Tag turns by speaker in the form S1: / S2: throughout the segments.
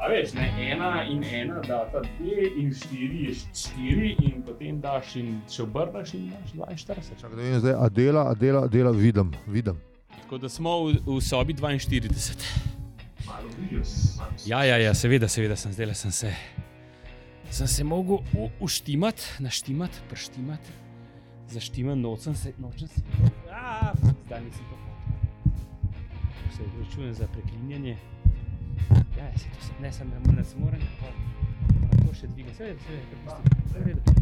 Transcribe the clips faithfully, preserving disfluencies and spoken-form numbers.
S1: A veš, ne, ena in ena data dve in štiri je štiri in potem daš in še obrnaš in daš dvainštirideset.
S2: Čakaj, da vidim zdaj, a dela, a dela, a dela, vidim, vidim.
S1: Tako da smo v, v sobi dvainštirideset.
S3: Malo bližje.
S1: Ja, ja, ja, seveda, seveda sem zdaj, sem se, sem se mogel u, uštimati, naštimati, preštimati, zaštimati, nočem se, nočem se, aaa, zdaj nisem to hotel. Se opravičujem za preklinjanje. Ja, se to, ne, sem, ne, se moram, moram to še dvigati, seveda, seveda, prepusti,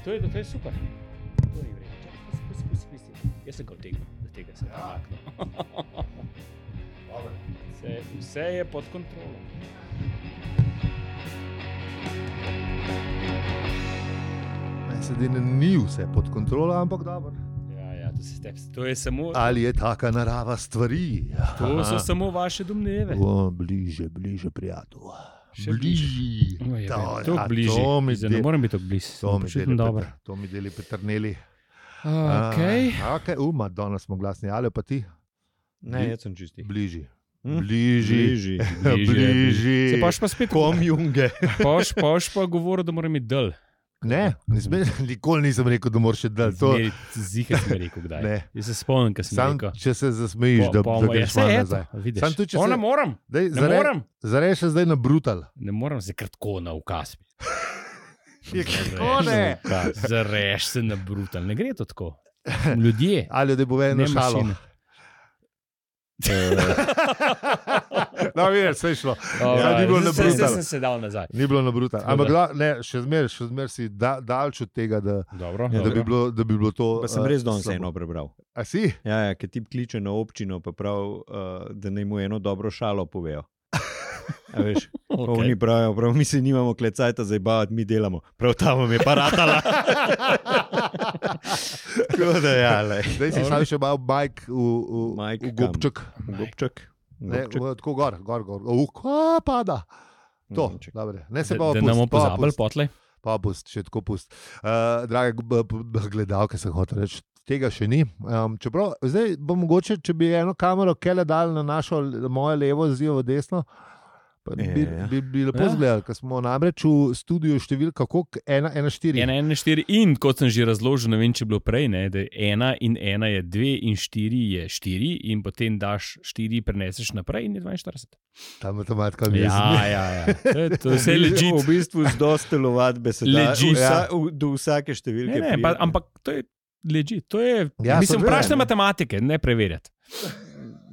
S1: to je, to je super, to je vredno, čakaj, pusti, pusti, pusti, pusti, jaz sem ga vtegnil, da tega sem premaknil. Vse, vse je pod kontrolom.
S2: Ne, sedaj ni vse pod kontrolo, ampak dobro.
S1: Ja, ja, to, se, to je samo...
S2: Ali je taka narava stvari?
S1: To so samo vaše domneve.
S2: O, bliže, bliže, prijatelj.
S1: Še
S2: Bliži.
S1: No, je,
S2: To,
S1: to
S2: ja,
S1: bliži.
S2: to mi
S1: Zdaj, ne
S2: de-
S1: moram biti tako blizu.
S2: To mi deli,
S1: dobro.
S2: Petr, to mi deli Petrneli.
S1: Okay.
S2: A, ok, uma, danes smo glasni, ali pa ti?
S4: Ne, jaz sem čisti.
S2: Bliži.
S4: Hm?
S2: Bliži.
S4: Bliži.
S1: Bližje,
S2: Bliži.
S1: Se paš pa spet
S4: Kom junge.
S1: Paš, paš pa govoril, da moram imeti dol.
S2: Ne, nisem, nikoli nisem rekel, da moraš še dal to.
S1: Zmeri, zihar sem rekel kdaj.
S2: Ne.
S1: Jaz se spomnim, kaj sem
S2: Sam,
S1: rekel.
S2: če se zasmejiš, da, da greš malo nazaj.
S1: Vidiš.
S2: Sam tudi, če
S1: O,
S2: se-
S1: ne moram,
S2: Dej,
S1: ne moram.
S2: Zareš se zdaj na brutal.
S1: Ne moram se kratko na ukaz.
S2: Kako ne?
S1: Zareš se na brutal. Ne gre to tako. Ljudje.
S2: Ali da bo eno
S1: Ne
S2: šalo.
S1: mašine.
S2: No, vidiš, vse je šlo.
S1: Ja,
S2: ni bilo na
S1: zdaj- zdaj
S2: brutal.
S1: sem se dal nazaj.
S2: Ni bilo na brutal.
S1: Tako
S2: Ampak
S1: da-
S2: da, ne, še zmer, še zmer si da, daljč od tega, da,
S1: Dobro,
S4: Ja,
S2: da, bi
S1: dobro.
S2: bilo, da bi bilo to.
S4: Pa sem
S2: eh,
S4: res danes
S2: slabo.
S4: eno prebral.
S2: A si?
S4: Ja, ja, ker ti kliče na občino, pa prav, uh, da naj mu eno dobro šalo povejo. A veš, okay. Oni pravijo, prav, mi se nimamo klecajta zabavati, mi delamo. Prav tam vam je pa ratala. Tako da ja, lej.
S2: Zdaj si sam še malo Mike v, v,
S4: Mike
S2: v gobček.
S4: Gobček.
S2: Ne,
S4: Gobček.
S2: v, tako gor, gor, gor. Uh, kva pada. To,
S4: Gobček.
S2: dobre. Ne se
S1: Da,
S2: pa
S1: da ne bomo
S2: pust, pa
S1: pozabili
S2: pust,
S1: potlej.
S2: pa pust, še tako pust. Uh, drage b- b- gledalke, sem hotel reči, tega še ni. Um, čeprav, zdaj bo mogoče, če bi eno kamero kele dal na našo na moje levo, zdijo v desno, pa bi, bi,
S4: Ja.
S2: bi, bi lepo
S1: Ja.
S2: izgledali, ker smo namreč v studiu številka koliko? ena, ena, štiri.
S1: Ena, ena, štiri in kot sem že razložil, ne vem, če je bilo prej, ne, da je ena in ena je dve in štiri je štiri in potem daš štiri, preneseš naprej in je dvainštirideset.
S2: Ta matematika mi je
S1: Ja, ja, ja. To je, to je vse legit.
S4: V bistvu z dosti telovadbe se da
S1: Legit.
S4: vsa, v, do vsake številke.
S1: Ne, ne, pa,
S4: pride.
S1: ampak to je legit. To je,
S2: Ja,
S1: mislim,
S2: seveda,
S1: vprašajte
S2: ne.
S1: matematike, ne preverjati.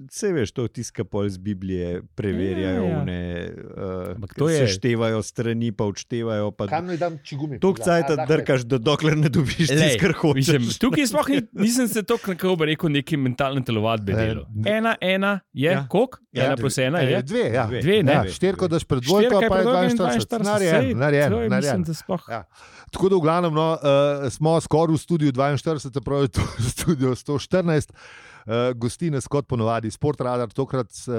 S4: Sej veš, to tiska pol z Biblije, preverjajo,
S1: Ja, ja.
S4: one, uh,
S1: Ampak to je-
S4: seštevajo strani, pa odštevajo. Pa
S2: Kam naj dam čigumi?
S4: Tok cajta drkaš, da dokler ne dobiš tisto, kar hočeš.
S1: Mislim, tukaj sploh ni, nisem se tako nekako bi rekel neki mentalne telovadbe
S2: Ne,
S1: delo.
S2: ne.
S1: Ena, ena je,
S4: Ja.
S1: koliko?
S4: Ja,
S1: Ena plus ena
S2: E,
S1: je.
S2: dve, ja.
S4: Dve.
S1: Dve, ne.
S2: Ja,
S4: Dve.
S2: štirko daš pred
S1: Štirka
S2: dvojko,
S1: je
S2: pa je
S1: predolga in
S2: dvainštirideset.
S1: dvainštirideset.
S2: Narejen,
S1: Sej,
S2: narejen,
S1: to je,
S2: narejen.
S1: Mislim, da sploh.
S2: Ja. Tako da v glavnem no, uh, smo skoraj v studiu dvainštirideset, pravi to studio sto štirinajst. Uh, gosti nas kot ponovadi Sportradar, tokrat uh, uh,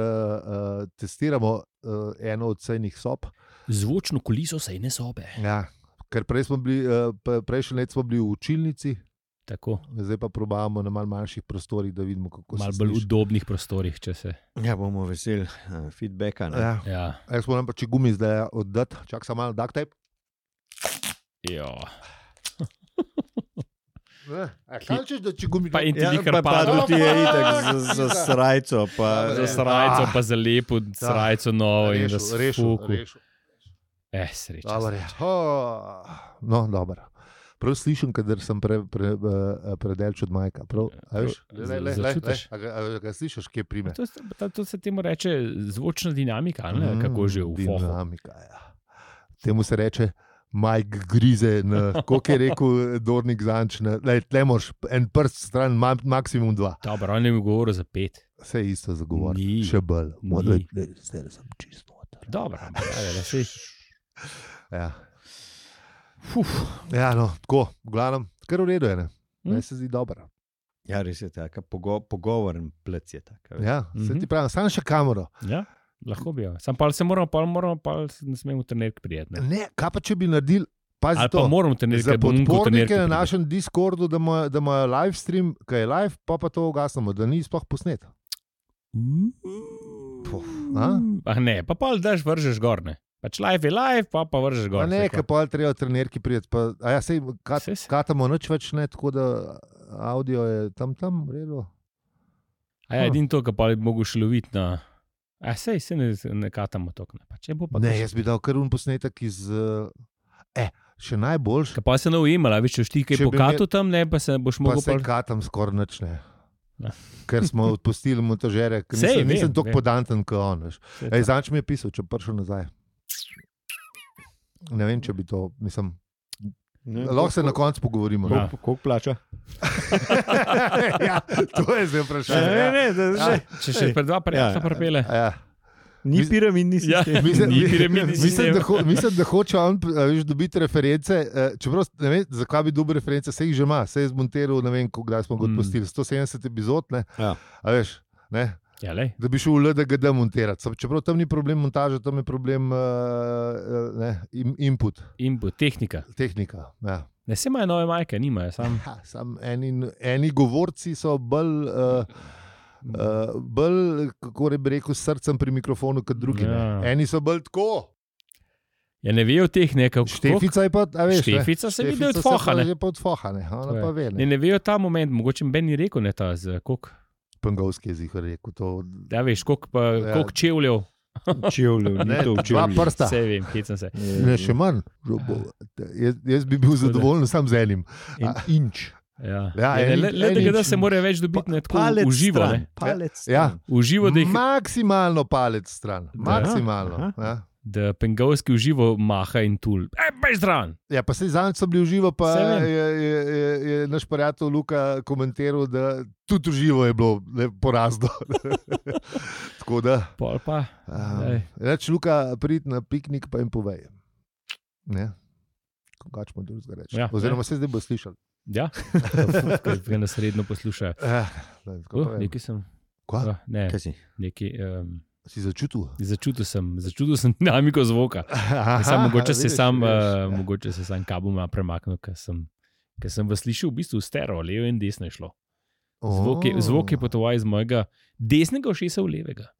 S2: testiramo uh, eno od sejnih sob.
S1: Zvočno kuliso sejne sobe.
S2: Ja. Ker prej smo bili, uh, p- prejšnji let smo bili v učilnici,
S1: Tako,
S2: zdaj pa probavamo na malo manjših prostorih, da vidimo, kako
S1: malo
S2: se
S1: bolj
S2: sliši.
S1: udobnih prostorih, če se.
S4: Ja, bomo veseli uh, feedbacka. Ne?
S2: Ja.
S1: Ja.
S2: Jaz moram pa če gumi zdaj oddati, čak samo malo duct tape.
S1: Jo.
S2: Ne, a kaj češ, da če gumi...
S1: Pa in ti
S4: Ja,
S1: bi kar
S4: pa, pa
S1: padlo.
S4: tudi je itak za, za srajco. Pa,
S1: Za srajco, pa za lepo srajco novo in
S2: Rešil, rešil,
S1: razfuku.
S2: rešil.
S1: Eh, sreča.
S2: Dobar je.
S1: sreča.
S2: Oh, no, dobro. Prav slišim, kadar sem pre, pre, uh, predelč od Majka. Prav, a veš, le, le, le, le, le,
S1: Začutiš?
S2: a ga, a ga slišiš, kje prime?
S1: To, se- to, to se temu reče zvočna dinamika, ali ne?
S2: Mm,
S1: Kako že v fohu.
S2: Dinamika, ja. Temu se reče Mike grize, kot je rekel Dornik Zanč, na, le, le moraš en prst stran, ma, maksimum dva.
S1: Dobro, on je mi govoril za pet.
S2: Vse isto zagovor,
S1: Ni.
S2: še bolj.
S1: Ni.
S2: Modle, le, zdaj sem čisto noter.
S1: Dobro, ampak ja, da si.
S2: Ja.
S1: Fuf.
S2: Ja, no, tako, v glavnem, kar v redu je, ne?
S1: Hm?
S2: Meni se zdi dobro.
S4: ja, res je tako, pogo, pogovoren plec je tako.
S2: Ja, se
S1: Mhm.
S2: ti pravim, sam še kamero.
S1: Ja, lahko bi jo. Sam pa se moramo, pa moramo, pa ne smemo trenerk prijeti. Ne?
S2: Ne, kaj pa če bi naredili, pazi
S1: Ali
S2: to.
S1: pa moramo trenerk,
S2: Za
S1: ker bom unko
S2: podpornike
S1: trenerk
S2: na
S1: pride.
S2: našem Discordu, da imajo, da imajo live stream, ki je live, pa pa to ugasnemo, da ni sploh posnet.
S1: Ah, ne, pa pol daš, vržeš gor, ne. Pač live je live, pa pa vržeš gor.
S2: Pa ne, ker pa treba trenerki prijeti. Pa, a ja, sej, kat,
S1: Sej se.
S2: katamo nič več, ne, tako da audio je tam, tam, v redu.
S1: A ja, edin to, ka pa bi mogel še loviti na... A sej, se ne, ne katamo tok, ne. Pa če bo pa...
S2: Ne, jaz bi dal kar un posnetek iz... Eh, še najboljš,
S1: Ka pa se ne ujemala, veš, če ti kaj
S2: Če bi
S1: pokatu tam, ne, pa se boš
S2: pa
S1: mogel...
S2: sej
S1: pol-
S2: katam skoraj nič, ne.
S1: Ja.
S2: Ker smo odpustili montažere, ker
S1: Sej,
S2: nisem,
S1: vem,
S2: nisem tako
S1: vem.
S2: podanten, kot on, veš.
S1: Sej
S2: Ej,
S1: to.
S2: zanč mi je pisal, če prišel nazaj. Ne vem, če bi to, mislim, lahko se na koncu pogovorimo.
S1: Ja.
S2: No?
S4: Koliko plača?
S2: Ja, to je zdaj vprašanje.
S4: Ne, ne, da,
S2: Ja.
S4: že.
S1: Če še pred dva prijatelja
S4: Ja.
S1: pripele.
S2: Ja.
S4: Ni
S2: Mis-
S4: piramidni
S1: Ja.
S4: sistem.
S2: Mislim,
S1: Ni piramidni
S2: mislim,
S1: sistem.
S2: da ho, mislim, da hoče on a veš, dobiti reference. eh, Čeprav ne vem, zakaj bi dobil reference, se jih že ima, se je zmontiral, ne vem, kdaj smo ga
S1: Mm.
S2: odpustili, sto sedemdeset epizod, ne,
S4: Ja.
S2: a veš, ne,
S1: Ja, lej.
S2: da bi šel v L D G D montirati. Sam- Čeprav tam ni problem montaže, tam je problem uh, ne, in, input,
S1: Input, tehnika.
S2: tehnika. Ja.
S1: Ne, se imajo nove majke, nimajo, sam...
S2: Ha, sam eni, eni govorci so bolj, uh, uh, bolj, kako bi rekel, s srcem pri mikrofonu kot drugi.
S1: Ja.
S2: Ja. Eni so bolj tako.
S1: Ja, ne vejo teh nekaj...
S2: Štefica je pa, a veš, ne?
S1: Štefica se vidi od
S2: Štefica se
S1: foha,
S2: pa
S1: ne.
S2: že pa od foha, ne. Ona
S1: To je.
S2: pa ve,
S1: Ne,
S2: ne.
S1: ne vejo ta moment, mogoče Ben ni rekel, ne ta z koliko...
S2: Pengovski jezik je rekel to.
S1: Ja, veš, koliko, pa,
S2: Ja.
S1: koliko čevljev.
S4: Čevljev, ni
S2: Ne,
S4: to
S2: dva
S4: čevljev.
S2: prsta.
S1: Vse vem, hecam se.
S2: Ne, še manj. Jaz, jaz bi bil zadovoljen sam z enim.
S4: En inč.
S1: Ja.
S2: Ja,
S1: Ja,
S2: en-
S1: le, le,
S2: en
S1: le, da
S2: inč.
S1: se mora več dobiti ne, tako
S4: Palec
S1: uživo.
S4: stran,
S1: Ne.
S4: palec
S2: Ja.
S4: stran.
S1: Uživo, da, jih,
S2: Maksimalno palec stran. Maksimalno.
S4: Aha.
S2: Ja.
S1: da pengovski uživo maha in tul. Ej, bež zraven!
S2: Ja, pa se zadnjič so bili v živo, pa
S1: Saj vem.
S2: je, je, je, je naš prijatelj Luka komentiral, da tudi v živo je bilo ne, porazno. Tako da,
S1: Pol pa. Ej.
S2: um, reč Luka, prid na piknik pa jim povej. Ne? Kaj smo drugega reči?
S1: Ja,
S2: Oziroma
S1: ne.
S2: se zdaj bo slišal.
S1: Ja, kaj ga nas redno poslušajo.
S2: Eh, ne, tako
S1: Uh,
S2: povem.
S1: nekaj sem.
S2: Kva?
S1: Uh, ne,
S4: Kaj si?
S1: nekaj. Um,
S2: Si začutil?
S1: začutil sem, začutil sem dinamiko zvoka.
S2: Aha,
S1: Sam, mogoče, se
S2: vidiš,
S1: sam,
S2: vidiš,
S1: uh,
S2: ja.
S1: mogoče se sam kabeloma premaknil, ker sem, ker sem vas slišal v bistvu stereo, levo in desno je šlo. Zvok je,
S2: O.
S1: zvok je potoval iz mojega desnega ušesa v levega,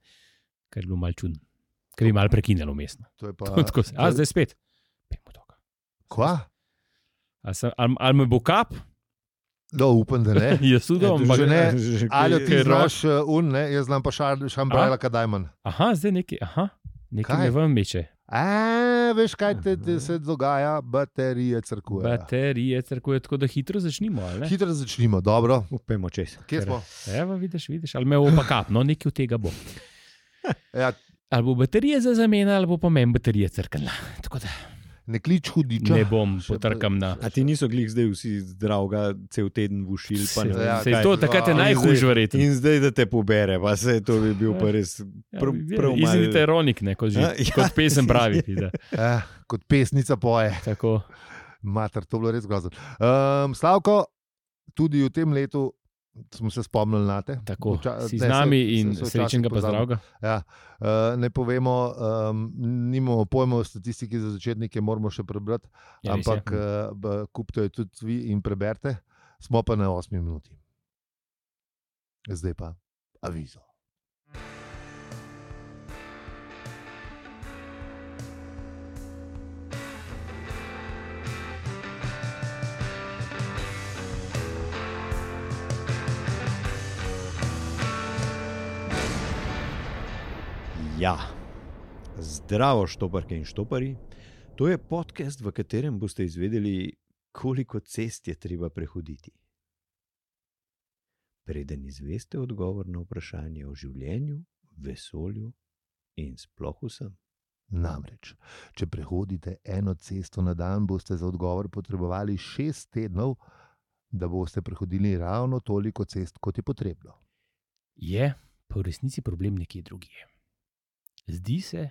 S1: kar je bilo malo čudno, ker je malo prekinjalo mestno.
S2: To je pa.
S1: Tako se- A zdaj spet. Pejmo toga.
S2: Kva?
S1: Ali, sem, ali, ali me bo kap?
S2: No, upam, da ne.
S1: Jaz tudi,
S2: Ja,
S1: ampak
S2: že ne.
S4: Že
S2: Ali
S4: kaj-
S2: ti
S1: Ker
S2: znaš uh, un, ne? Jaz znam pa šambrajla, kaj dajman.
S1: aha, zdaj nekaj, aha, nekaj
S2: Kaj?
S1: me vam meče.
S2: A, veš, kaj te, te se dogaja? Baterije crkujejo.
S1: Baterije, crkuje, tako da hitro začnimo, ali ne?
S2: Hitro začnimo, dobro.
S4: Upajmo čez.
S2: Kje smo?
S1: Evo, vidiš, vidiš, ali me bo pa kap, no nekaj od tega bo.
S2: Ja,
S1: Ali bo baterija za zamena, ali bo pa meni baterija crkala. Tako da
S2: ne klič hudiča.
S1: ne bom
S2: Še
S1: potrkam na...
S4: A ti niso glih zdaj vsi zdravga cel teden v ušil? pa ne
S1: Se,
S4: vem
S2: ja,
S1: se
S4: kaj.
S1: to takrat je
S2: A,
S1: najhujš verjetno.
S4: In zdaj, da te pobere, pa se to bi bil pa res prav, prav malo.
S1: Izidite ironik, ne, kot, že,
S4: Ja, ja.
S1: kot pesem pravi. da.
S2: Eh, kot pesnica poje.
S1: Tako.
S2: Mater, to je bilo res grozno. Um, Slavko, tudi v tem letu smo se spomnili na te.
S1: Tako,
S2: Vča-
S1: si
S2: ne,
S1: z nami
S2: se-
S1: in
S2: se- se včasih
S1: srečnega pa
S2: pozabimo.
S1: zdravega.
S2: Ja, uh, ne povemo, um, nimamo pojma o statistiki za začetnike, moramo še prebrati,
S1: Ja, res je.
S2: ampak uh, kupite jo tudi vi in preberite. Smo pa na osmi minuti. Zdaj pa avizo.
S4: Ja, zdravo, štoparke in štopari. To je podcast, v katerem boste izvedeli, koliko cest je treba prehoditi. Preden izveste odgovor na vprašanje o življenju, vesolju in sploh vsem.
S2: Namreč, če prehodite eno cesto na dan, boste za odgovor potrebovali šest tednov, da boste prehodili ravno toliko cest, kot je potrebno.
S1: Je pa v resnici problem nekje drugje. Zdi se,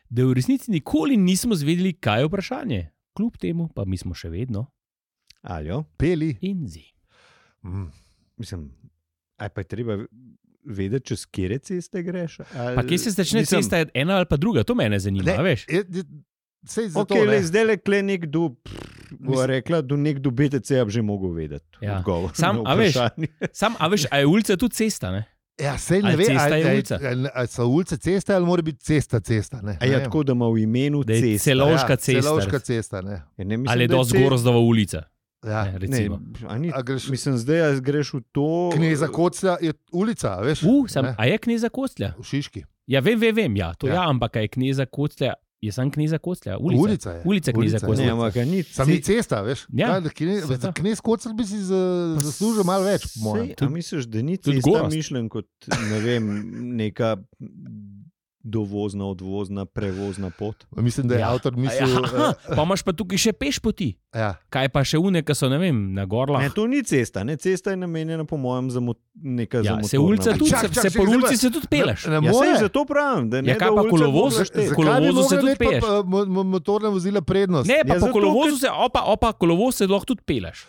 S1: da v resnici nikoli nismo zvedeli, kaj je vprašanje. Kljub temu pa mi smo še vedno
S4: Aljo,
S2: Peli.
S1: in zi.
S2: Mm.
S4: mislim, aj pa je treba vedeti, čez kere ceste greš. Ali,
S1: Pa kje se začne
S4: mislim,
S1: cesta, ena ali pa druga, to mene zanima,
S2: Ne,
S1: veš?
S2: je- je- Sej zato,
S4: Ok,
S2: ne.
S4: le zdaj le kle nekdo, bo rekla, do nekdo B T C-ja bi že mogel vedeti
S1: Ja.
S4: odgovor
S1: Sam,
S4: na
S1: a veš,
S4: vprašanje.
S1: Sam, a veš, a je ulica tudi cesta, ne?
S2: Ja, sej ne
S1: Ali
S2: ve,
S1: cesta je
S2: ali,
S1: ulica?
S2: ali, ali so ulice ceste ali mora biti cesta cesta. Ne?
S4: A je
S2: Ne vem.
S4: tako, da ima v imenu
S1: Da je
S4: cesta.
S1: Celovška
S2: ja,
S1: cesta.
S2: Celovška cesta, ne.
S4: Ja, ne, mislim,
S1: Ali je
S4: da
S1: dosti
S4: ce-
S1: Gorozdova ulica,
S2: Ja.
S1: ne,
S4: Ne,
S1: recimo.
S4: a ni,
S2: A greš,
S4: mislim, zdaj a greš v to.
S2: Kneza Koclja je ulica, a veš?
S1: Uh, sam,
S2: Ne.
S1: a je kneza Koclja?
S2: V Šiški.
S1: Ja, vem, vem, vem, ja, to
S2: Ja.
S1: ja, ja ampak a je kneza Koclja, je sam kneza Koclja, ulica.
S2: Ulica je.
S1: Ulica kneza
S2: Ulica je.
S1: Koclja.
S4: Ne, ampak a ni.
S2: Sam ni cesta, veš?
S1: Ja,
S2: Kaj, da kne-
S1: cesta.
S2: za Knez Kocl bi si za- zaslužil malo več, po mojem.
S4: Sej, a misliš, da ni
S1: tudi
S4: cesta
S1: Gorazd.
S4: mišljen kot ne vem, neka dovozna, odvozna, prevozna pot?
S2: Mislim, da je
S1: Ja.
S2: avtor
S1: A
S2: mislil.
S1: Ja, pa imaš pa tukaj še peš poti.
S2: Ja.
S1: Kaj pa še une, ki so, ne vem, na gorlah.
S4: Ne, to ni cesta, ne, cesta je namenjena po mojem za mo neka
S1: Ja,
S4: za
S1: se
S4: motorna
S1: ulica
S4: vozila.
S1: tudi,
S2: Čak,
S1: se,
S2: čak,
S1: se
S2: čak,
S1: po
S2: zdaj
S1: ulici
S2: pa-
S1: se tudi peleš.
S2: Ne, ne
S4: Ja,
S2: more.
S4: sej, zato pravim, da ne
S1: Ja,
S4: da
S1: kaj pa
S4: ulica
S1: kolovoz?
S4: bo zaštet-
S1: Zakaj bi
S2: Kolovozu
S1: mogla
S2: se
S1: tudi
S2: tudi
S1: peš?
S2: motorna vozila prednost.
S1: Ne, pa
S4: Ja,
S1: po
S4: zato,
S1: kolovozu
S4: ker-
S1: se, opa, opa, kolovoz se lahko tudi peleš.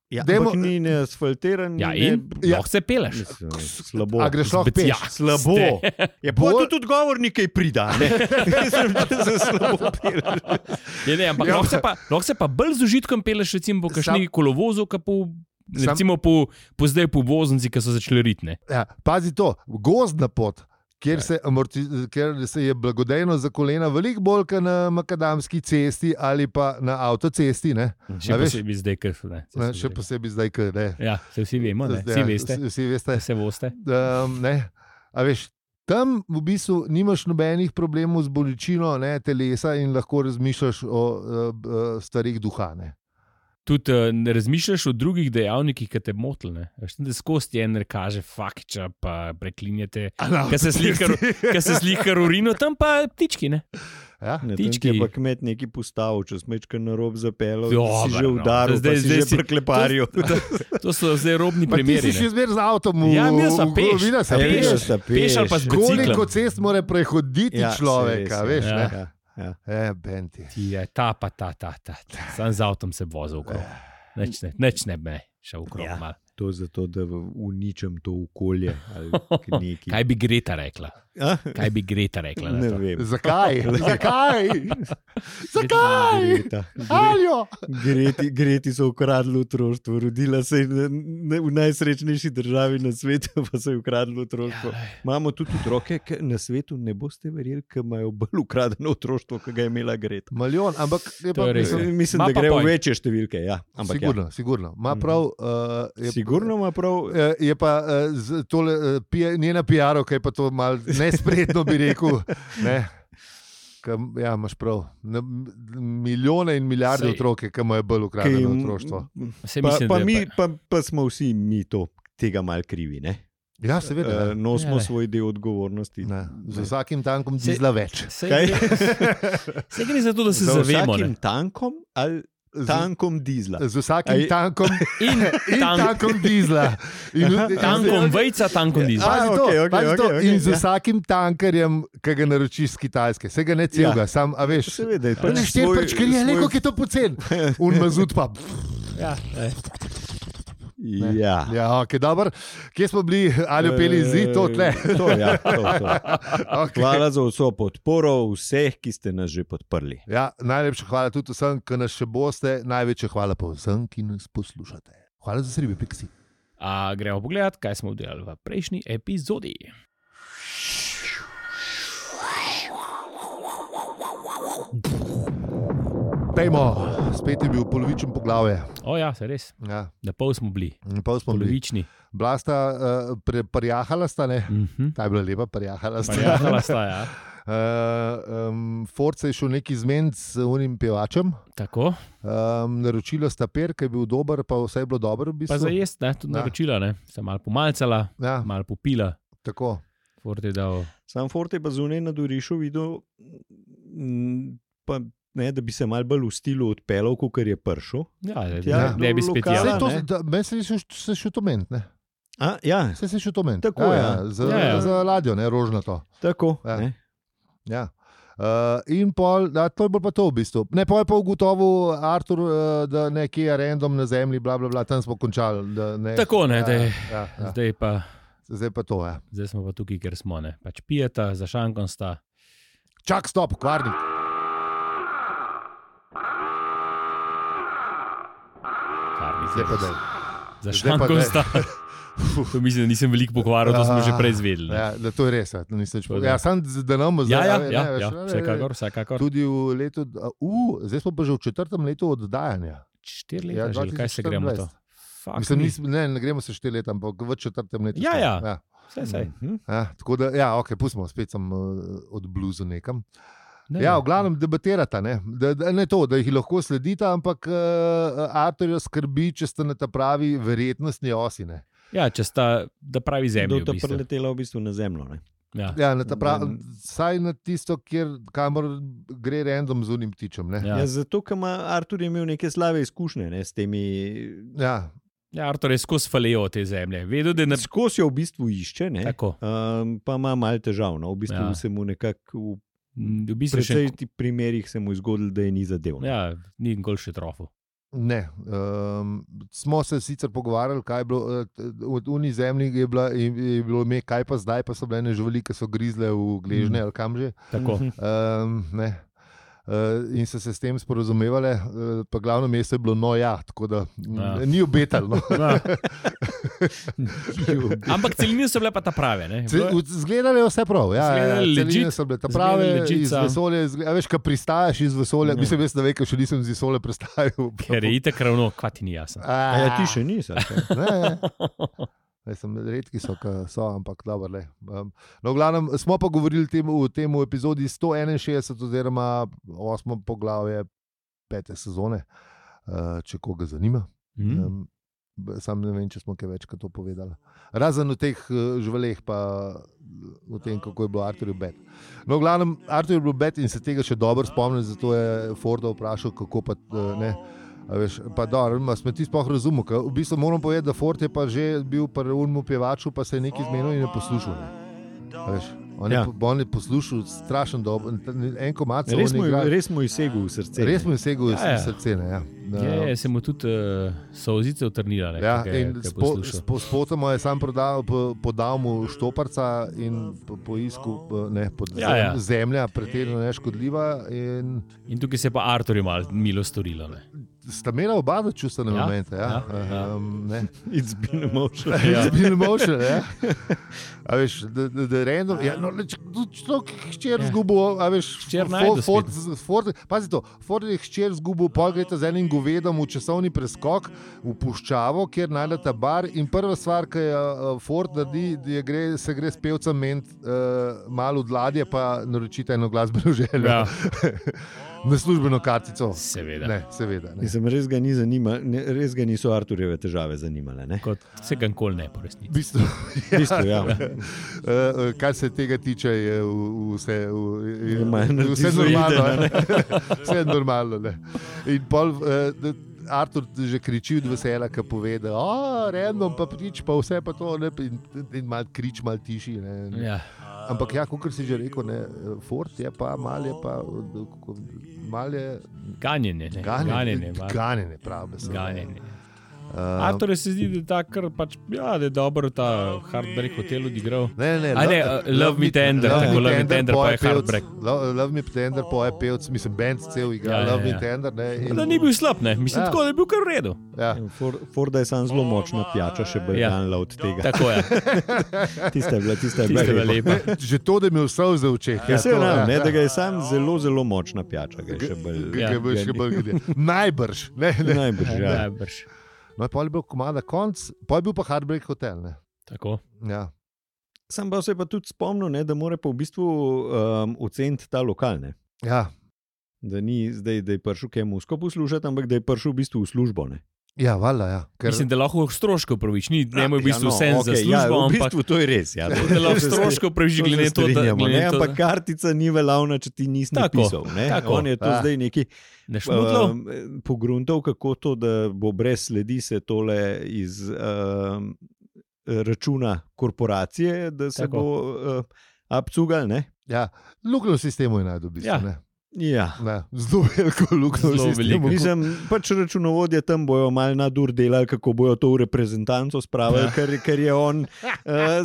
S4: Ja,
S2: Dajmo-
S4: ampak ni ne asfaltiran.
S1: Ja,
S4: ni
S1: in
S4: ne,
S2: Ja.
S1: lahko se peleš.
S4: Mislim, slabo.
S2: A greš lahko
S1: Zbec-
S2: peš?
S1: ja,
S4: Slabo.
S1: ste.
S4: Je pa
S2: Bolj-
S4: tudi odgovor nekaj prida. Ne? Mislim, da se slabo peleš.
S1: Je, ne, ampak
S2: Ja.
S1: lahko se pa, lahko se pa bolj z užitkom peleš, recimo po kakšni kolovozu, kot po,
S2: Sam-
S1: recimo po, po zdaj po voznici, ki so začeli ritne.
S2: Ja, pazi to, gozdna pot, kjer se, amorti, kjer se je blagodejno za kolena veliko bolj kot na makadamski cesti ali pa na avtocesti. Ne?
S1: Še
S2: A veš?
S1: posebej zdaj, ker so. Ne,
S2: Ne,
S1: se
S2: še
S1: vsi-
S2: posebej zdaj, ker ne.
S1: Ja, se vsi vemo, ne, vsi
S2: Ja,
S1: veste.
S2: Vsi, vsi veste.
S1: Se voste.
S2: Um, ne. A veš, tam v bistvu nimaš nobenih problemov z bolečino ne, telesa in lahko razmišljaš o uh, uh, stvarih duha. Ne.
S1: Tudi uh, ne razmišljaš o drugih dejavnikih, ki te motilne. Skozi en kaže fakča, pa preklinjate. Kaj se slika, kaj se slika urino, tam pa ptički, ne?
S2: Ja?
S4: Ne, tam ti
S1: Ptički.
S4: je pa kmet neki postavil, če smečka na rob zapeljal,
S1: Dobro,
S4: si že
S1: no.
S4: udaril,
S1: Zdaj-
S4: zdaj, si
S1: zdaj
S4: že
S1: si-
S4: prekleparil.
S1: To so zdaj robni
S2: Ma ti
S1: primeri.
S2: si še
S1: ne.
S2: zmeraj z avtom v
S1: Ja, imel sem
S2: v-
S1: peš.
S2: v- videl sem
S1: A je
S2: peš.
S1: peš? Peš ali pa z biciklom.
S2: Koliko cest mora prehoditi
S4: Ja,
S2: človeka,
S4: sej,
S2: veš?
S1: ja.
S2: Ne?
S4: Ja, ja.
S2: E, Benti.
S1: Ti je ta, pa ta, ta, ta. ta. Sam z avtom se vozil okrog. Neč ne, neč ne bi šel okrog.
S4: Ja.
S1: malo.
S4: To je zato, da uničim to okolje. ali nekaj.
S1: Kaj bi Greta rekla?
S4: A?
S1: Kaj bi Greta rekla? na
S4: Ne
S1: to?
S2: Zakaj?
S4: vem.
S2: Zakaj? Zakaj?
S4: Greta.
S2: Aljo!
S4: Greti, Greti so ukradli otroštvo, rodila se je na- na- v najsrečnejši državi na svetu, pa so ji ukradli otroštvo.
S1: Ja,
S4: Imamo tudi otroke ki na svetu, ne boste verjeli, ki imajo bolj ukradeno otroštvo, kot ga je imela Greta.
S2: Milijon, ampak je
S1: To
S2: pa
S1: je res,
S2: mislim,
S1: ja.
S4: Mislim,
S1: Ma
S4: da
S1: pa
S4: gre v
S1: point.
S4: večje številke. Ja. Ampak
S2: sigurno, sigurno. Ma
S4: Mhm.
S2: prav, uh,
S4: ja.
S2: je,
S4: Sigurno ima prav.
S2: Eh, Je pa eh, z- tole, eh, pije- njena pijarovka je pa to malo nespretno, bi rekel. Ne? Kam, ja, imaš prav. Na, milijone in milijarde
S1: Sej.
S2: otrok, ki imajo bolj
S4: ki
S2: ukradeno
S4: jim-
S2: otroštvo.
S1: Saj
S4: Pa,
S1: mislim,
S4: pa,
S1: da je
S4: mi, pa, pa smo vsi mi to, tega mal krivi. Ne?
S2: Ja, seveda.
S4: Uh,
S2: Ja.
S4: nosimo
S1: Ja, le.
S4: svoj del odgovornosti.
S2: Ne, z vsakim tankom
S1: Sej-
S2: dizla več.
S1: Sej
S4: Kaj?
S1: gre, sej gre za to, da se
S4: Za
S1: zavemo.
S4: vsakim
S1: Ne?
S4: tankom ali
S2: Z,
S4: tankom dizla.
S2: z vsakim
S4: Aj-
S2: tankom
S1: In
S2: in
S1: tank,
S2: tankom dizla. In,
S4: Aha.
S2: in-
S1: tankom vejca, tankom dizel.
S2: Pazi
S4: A,
S2: to,
S4: okej, okej,
S2: pazi to.
S4: okej, okej,
S2: In z
S4: ja.
S2: vsakim tankerjem, ki ga naročiš z Kitajske, se ga ne celega,
S4: Ja.
S2: sam, a veš.
S4: Seveda je
S2: Ne
S4: pač
S2: štiri
S4: svoj-
S2: prčkarije,
S4: svoj-
S2: le koliko je to pocen. Un mazut pa.
S1: Ja, ej.
S2: Ne.
S4: Ja.
S2: Ja, ok, dobro. Kje smo bili, ali peli zid, to tle.
S4: To, ja, to, to.
S2: Okay.
S4: Hvala za vso podporo vseh, ki ste nas že podprli.
S2: Ja, najlepša hvala tudi vsem, ki nas še boste. Največja hvala pa vsem, ki nas poslušate. Hvala za sribe, piksi.
S1: A gremo pogledat, kaj smo delali v prejšnji epizodi.
S2: Pejmo, spet je bil polovičen poglavje.
S1: O ja, se res.
S2: Ja,
S1: Na pol smo bili,
S2: in pol smo bili.
S1: polovični.
S2: Bila sta, uh, pre, parjahala sta, ne?
S1: Mhm.
S2: Ta je bila lepa, parjahala sta.
S1: Parjahala sta, ja.
S2: Uh, um, Force je šel neki zmen z unim pevačem.
S1: Tako,
S2: Um, naročila sta per, ki je bil dober, pa vse je bilo dobro. V bistvu.
S1: pa za jesti, ne, tudi
S2: Ja.
S1: naročila, ne. Sem malo pomalcala,
S2: Ja,
S1: malo popila.
S2: tako.
S1: Ford je dal.
S4: Sam Forte pa zunaj na Dorišu videl, mm, pa, ne, da bi se mal bolj v stilu odpeljal, kot je prišel.
S1: Ja, da,
S4: Tja,
S1: da, ne bi
S4: do
S1: spet
S4: lokala.
S1: jaz.
S2: Saj to,
S4: ne.
S2: da, meni se je se šel to ment, ne?
S4: A, ja,
S2: Se je šel to ment.
S4: Tako,
S2: ja,
S4: ja.
S2: ja, za,
S1: Ja, ja.
S2: za ladjo, ne, rožnato.
S4: tako.
S2: Ja.
S4: Ne.
S2: Ja. Uh, in pol, da, to je bolj pa to v bistvu. Ne, pol je pa ugotovil Artur, uh, da nekje je random na zemlji, bla, bla, bla, tam smo končali. Da, ne,
S1: Tako, ne,
S2: ja,
S1: da je-
S2: ja, ja.
S1: Zdaj pa,
S2: Zdaj pa to, ja.
S1: zdaj smo pa tukaj, ker smo, ne. Pač pijeta, za šankom sta.
S2: Čak, stop, kvarnik.
S1: Kar ni
S2: Zdaj pa
S1: zdaj.
S2: daj.
S1: Za
S2: Zdaj pa
S1: šankom
S2: ne.
S1: sta. To mislim, da nisem veliko pokvaril, to smo že prej izvedeli. ne.
S2: Ja, da to je res. Ja, to nisem več
S1: To
S2: povedal.
S1: da.
S2: Ja, sam, da nam
S1: Ja,
S2: zdaj.
S1: ja,
S2: ne,
S1: ja,
S2: veš,
S1: ja,
S2: ne,
S1: vsekakor, vsekakor.
S2: Tudi v letu, uh, zdaj smo pa že v četrtem letu oddajanja.
S1: Štiri
S2: Ja,
S1: leta, že kaj se gremo to? Fuck
S2: Mislim,
S1: me.
S2: nismo, ne, ne gremo se štiri leta, ampak v četrtem letu.
S1: Ja,
S2: smo.
S1: ja.
S2: ja.
S1: Saj, saj.
S4: Mhm.
S2: Ja, tako da, ja, ok, pustimo, spet sem uh, od bluzu nekam.
S1: Ne,
S2: Ja,
S1: ne.
S2: v glavnem debatirata, ne, da, da, ne to, da jih lahko sledita, ampak uh, Arturja skrbi, če ste na ta pravi verjetnostni osi. Ne.
S1: Ja, če sta, da pravi zemljo.
S4: Da
S1: v
S4: je
S1: bistvu.
S4: preletela v bistvu na zemljo. Ne?
S1: Ja.
S2: Ja, na ta pravi,
S4: Da-
S2: saj na tisto, kjer, kamor gre random z unim ptičem. Ne.
S1: Ja.
S4: Ja, zato, ker ima Artur je imel neke slabe izkušnje ne, s temi.
S2: Ja,
S1: Ja, Artur je skozi falejo te zemlje. Vedel, da je na...
S4: Skozi jo v bistvu išče, ne,
S1: Tako.
S4: um, pa ima malo težav. No. V bistvu
S1: Ja.
S4: ja. se mu nekako
S1: Mm, V
S4: v
S1: bistvu še...
S4: precej primerih se mu je zgodilo, da je ni zadev. ne.
S1: Ja, ni nikoli še trofo.
S2: ne. Um, smo se sicer pogovarjali, kaj je bilo uh, v uni zemlji, je, bila, je, je bilo ime, kaj pa zdaj, pa so bile ene živali, ki so grizle v gležnje
S1: Mm.
S2: ali kam že.
S1: Tako.
S4: Mhm.
S2: Um, ne. Uh, in so se s tem sporozumevali, uh, pa glavno mesto je bilo no, ja, tako da
S1: Ja.
S2: ja. ni obetalo. No.
S1: Ja. Ampak celine so bile pa ta prave. Ne?
S2: Ce- v- Zgledale je vse prav. Ja, ja,
S1: Zgledale
S2: celine
S1: legit.
S2: so bile ta
S1: Zgledale
S2: prave,
S1: legit
S2: iz
S1: so.
S2: vesolja. izgle- A veš, kaj pristajaš iz vesolja?
S1: Ja.
S2: Mislim, jaz ne vem, ker še nisem iz vesolja prestajal.
S1: Ker je itek ravno, kva ti ni jasno.
S4: A ja, ti še nisi. ali kaj?
S2: Ne, ne. Zdaj sem redki so, ki so, ampak dobro. le. Um, no, v glavnem, smo pa govorili tem, v tem epizodi sto enainšestdeset oziroma osmo poglavje pete sezone, uh, če koga zanima.
S1: Mm.
S2: Um, sam ne vem, če smo kaj več kot to povedali. Razen v teh uh, živaleh, pa v tem, kako je bilo Arturju bed. No, v glavnem, Artur je bil bed in se tega še dobro spomnim, zato je Forda vprašal, kako pa uh, ne. A veš, pa dobro, smo ti sploh razumeli. ker V bistvu moram povedati, da Ford je pa že bil pri unmu pevaču, pa se je nekaj zmenil in je poslušal. Ne. A veš, on,
S4: Ja.
S2: je, po- on je poslušal strašen dobro. En komat se
S4: Res
S2: on
S4: mu
S2: igra.
S4: je- res mu je segel v srce. ne.
S2: Res mu je segel
S1: Ja,
S2: ja,
S1: ja.
S2: srce. Ne, ja.
S1: Je, je se mu tudi uh, solzice utrnile.
S2: Ja, in spo, spo, spotoma je sam prodal, po, podal mu štoparca in po, poiskal, po- ne, pod
S1: Ja, ja.
S2: zemlja, pretirano neškodljiva. In
S1: In tukaj se je pa Arturju malo milo storilo. Ne?
S2: sta imela oba čustvene
S1: Ja,
S2: momente. Ja,
S1: ja, ja.
S2: Um, ne.
S4: It's been emotional.
S1: Ja.
S2: Ja. Zbili emotion, ja. A veš, da, da, da random, ja, no, če to hčer
S1: Ja.
S2: zgubo, a veš,
S1: Hčer
S2: Fo-
S1: najde
S2: Ford, Ford, pazi to, Ford je hčer zgubil, pol gresta z enim govedom v časovni preskok v puščavo, kjer najdete bar in prva stvar, ki je uh, Ford naredi, je gre, se gre s pevcem ment uh, malo od ladje, pa naročite eno glasbeno željo.
S1: Ja,
S2: Na službeno kartico.
S1: seveda.
S2: Ne, seveda. Ne.
S4: Mislim, res, ga ni zanima, ne, res ga niso Arturjeve težave zanimale. Ne?
S1: Kot se ga nikoli ne po
S2: V
S1: resnici.
S2: bistvu,
S4: V bistvu, ja.
S2: Uh, kar se tega tiče, je v- vse, v- je,
S4: Je manj
S2: vse
S4: narcizoiden,
S2: normalno.
S4: a ne?
S2: ne. Vse je normalno. Ne. In pol, uh, Artur že kriči od veselja, ki pove, da je random, pa prič, pa vse pa to, ne, in, in mal krič, mal tiši. Ne.
S1: Ja.
S2: Ampak ja, kot si že rekel, ne, Ford je pa, mal je pa, kako- mal je
S1: Ganjenje, ne.
S2: ganjenje,
S1: ganjenje, malo.
S2: ganjenje prav beseda.
S1: ganjenje.
S2: Uh,
S1: Artur se zdi, da je ta kar pač, ja, da je dobro ta Heartbreak hotel odigral.
S2: Ne, ne,
S1: A ne, uh, Love Me Tender, tako Love Me Tender, pa je
S2: poje pevc,
S1: Heartbreak.
S2: Love, Love Me Tender, pa je pevc, mislim, band cel igra,
S1: Ja,
S2: ja,
S1: ja,
S2: Love
S1: ja.
S2: Me Tender. Ne, in,
S1: Da ni bil slab, ne. Mislim,
S2: Ja.
S1: tako da je bil kar v redu.
S2: ja.
S4: For, Forda je sam zelo močna pijača, še bolj
S1: Ja.
S4: ganila od tega.
S1: Tako je.
S4: Tista je bila, tista je
S1: Tista je
S4: bila
S1: bila
S4: lepa.
S1: lepa.
S2: Že to, da je imel vse v očeh.
S4: Ja, se
S2: to,
S4: vem, ne,
S2: ja.
S4: da ga je sam zelo, zelo močna pijača. Ga je še bolj,
S2: Ga- ga bo še bolj gledal. Najbrž. Ne, ne.
S4: Najbrž, ja.
S1: Najbrž.
S2: No, pa je bil komada konc, pa je bil pa Heartbreak Hotel. Ne.
S1: Tako.
S2: Ja.
S4: Sam pa se je pa tudi spomnil, ne, da mora pa v bistvu um, oceniti ta lokal. Ne.
S2: Ja.
S4: Da ni zdaj, da je prišel kaj musko poslušati, ampak da je prišel v bistvu v službo. Ne.
S2: Ja, valjda, ja. Ker,
S1: Mislim, da lahko stroškov pravič, ni ne v bistvu
S4: ja,
S1: vse
S4: no,
S1: za
S4: okej,
S1: službo,
S4: ja, v
S1: ampak
S4: bistvu to je res. Ja,
S1: da lahko stroškov pravič,
S4: To se
S1: glede na to, da
S4: strinjamo,
S1: glede
S4: ne,
S1: na to,
S4: ampak
S1: da-
S4: kartica ni veljavna, če ti nisi
S1: Tako,
S4: napisal. Ne.
S1: tako.
S4: On je to
S2: Ja.
S4: zdaj neki
S1: ne šmudlo.
S4: um, pogruntal, kako to, da bo brez sledi se tole iz um, računa korporacije, da se
S1: Tako.
S4: bo uh, abcugal. Ne.
S2: ja, luknjo v sistemu je najdel. V bistvu,
S1: Ja.
S2: ne.
S4: Ja.
S2: Ne, zelo veliko luknjo v
S1: Zelo
S2: sistemu.
S1: veliko.
S4: Mislim, pač računovodje tam bojo malo nadur delali, kako bojo to v reprezentanco spravili,
S2: Ja.
S4: ker, ker je on uh,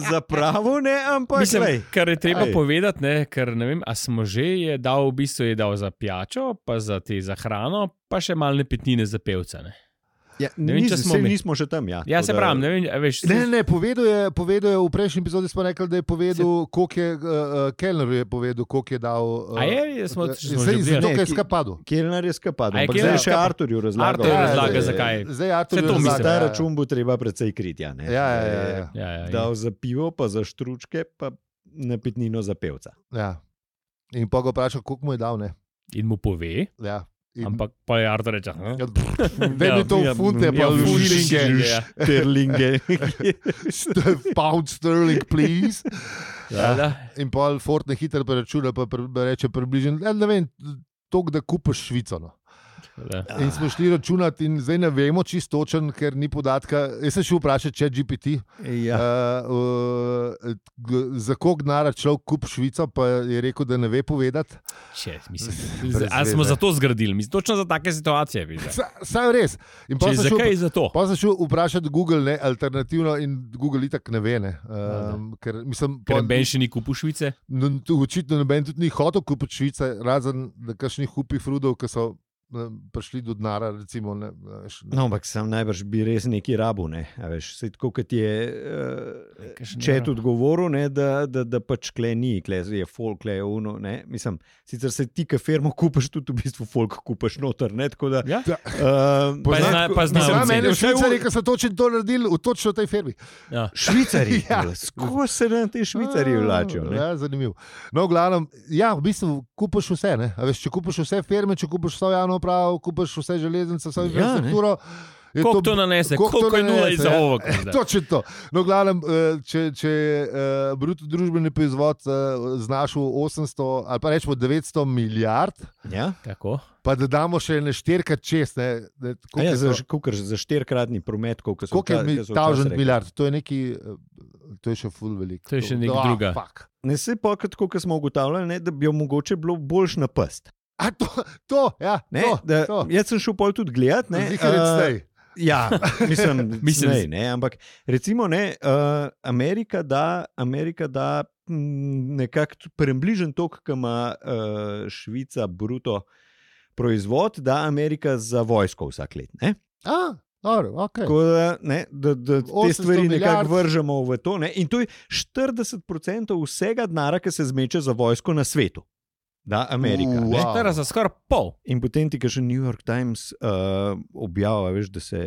S4: zapravil, ne, ampak
S1: Mislim,
S4: glej,
S1: kar je treba
S4: Aj.
S1: povedati, ne, ker ne vem, a smo že je dal, v bistvu je dal za pijačo, pa za te za hrano, pa še malne petnine za pevca. Ne.
S4: Ja,
S1: Ne vem,
S4: nis,
S1: če smo
S4: saj
S1: mi.
S4: nismo še tam. Ja,
S1: Ja,
S4: tako
S1: se
S4: da-
S1: pravim, ne vem, a veš.
S2: Ne, ne, povedal je, povedal je v prejšnji epizodi, smo rekli, da je povedal, koliko je, uh, Kellner je povedal, koliko je dal. Uh,
S1: A je? Smo- smo že
S2: Zdaj,
S1: obdelali.
S2: zato, ker je
S4: Ne, ki-
S2: skapadel.
S4: Kelner je skapad,
S1: A je
S4: ampak
S1: Kellner
S4: zdaj še
S1: skapad?
S4: Arturju razlagal.
S1: Artur
S2: Ja,
S1: razlaga,
S2: zdaj-
S1: zakaj.
S2: Zdaj Artur
S1: Saj to
S2: razlaga,
S1: mislim.
S4: Ta
S2: ja, ja.
S4: račun bo treba precej kriti. Ja, ne?
S2: Ja, ja, ja, ja.
S1: Ja, ja,
S4: Dal
S1: ja.
S4: za pivo, pa za štručke, pa napitnino za pevca.
S2: Ja. In pa ga vprašal, koliko mu je dal. Ne?
S1: In mu pove,
S2: Ja. In,
S1: ampak pa je Artur reče, "Hm?"
S2: ja, da mi to v funte, pa
S1: ja,
S2: v
S1: ful
S2: šilinge.
S1: šilinge, ja.
S4: Terlinge.
S2: St- Pound sterling, please.
S1: Ja, da.
S2: In pa Ford ne hitro preračuna, pa pre, reče približno, ja, ne vem, toliko, da kupiš Švico. No.
S1: Da.
S2: In smo šli računati, in zdaj ne vemo čisto točen, ker ni podatka. Jaz sem šel vprašati, če je G P T.
S4: Ja.
S2: Uh, uh, za koliko denarja človek kupi Švico, pa je rekel, da ne ve povedati.
S1: Če, mislim,
S2: Brez
S1: a smo
S2: veze.
S1: zato zgradili, mislim, točno za take situacije. vidiš, da.
S2: Sa- Saj res. In pa
S1: Če,
S2: sem šel-
S1: zakaj za to?
S2: Pa sem šel vprašati Google, ne, alternativno, in Google itak ne ve. Ne. Um, ker, mislim,
S1: Ker
S2: pol-
S1: Ben še ni kupil Švice.
S2: no, tu očitno noben tudi ni hotel kupiti Švice, razen da kakšnih hupih frudov, ki so ne, prišli do denara. Recimo, ne, veš,
S4: No, ampak sam najbrž bi res neki rabu. Ne? A veš, saj tako kot je uh,
S1: Kakšen
S4: če je
S1: rab?
S4: tudi govoril, ne, da, da, da pač kle ni, kle je folk, kle je uno. Ne? Mislim, sicer se ti, ki firmo kupiš, tudi v bistvu folk kupiš noter. Ne? Tako da,
S1: Ja?
S4: uh,
S1: Pa zna- pa zna
S2: Znam
S1: oceni.
S2: mene
S4: Vsaj v-
S2: Švicari, ki so točno to naredili, v točno tej firmi.
S1: Ja.
S4: Švicari,
S2: Ja.
S4: kako se na te švicari vlačijo. ne?
S2: Ja, zanimivo. No, v glavnem, ja, v bistvu kupiš vse. Ne? A veš, če kupiš vse firme, če kupiš vso javno upravo, kupiš vse železnice, vso
S4: Ja,
S2: infrastrukturo. je
S1: Koliko to nanese,
S2: koliko
S1: koliko
S2: to
S1: je nula
S2: nanese,
S1: iz
S2: ja.
S1: ovog.
S2: Točno to. No, v glavnem, eh, če, če je bruto družbeni proizvod eh, znašel osemsto ali pa rečemo devetsto milijard,
S4: Ja?
S1: Tako.
S2: pa da damo še ne štirikrat čez, ne, ne,
S4: A
S2: koliko
S4: Ja,
S2: je
S4: za,
S2: to-
S4: kukar, za štirikratni promet, koliko so
S2: koliko je
S4: vča-
S2: mi
S4: ko so
S2: tavžent
S4: včasih rekli.
S2: milijard, to je neki, eh, to je še ful veliko.
S1: To je še nekaj
S2: Ah,
S1: druga.
S2: fuck.
S4: Ne se pa, tako kot smo ugotavljali, ne, da bi jo mogoče bilo boljš na pest.
S2: A to, to, ja,
S4: Ne,
S2: to,
S4: da,
S2: to.
S4: jaz sem šel pol tudi gledat. Ne,
S2: Zihar je
S4: eh,
S2: zdaj.
S4: Ja, mislim,
S1: Mislim,
S4: mislim ne, ampak recimo, ne, uh, Amerika da, Amerika da mm, nekako približen tok, ki ima uh, Švica bruto proizvod, da Amerika za vojsko vsak let. Ne?
S2: A, dobro, okay.
S4: Tako da, ne, da, da te
S2: osemsto
S4: stvari
S2: milijard.
S4: nekako vržemo v to. Ne? In to je štirideset procentov vsega denarja, ki se zmeče za vojsko na svetu. Da, Amerika.
S2: Uh,
S4: ne.
S2: wow.
S1: Štera za skoraj pol.
S4: In potem ti, ki še New York Times uh, objavlja, veš, da se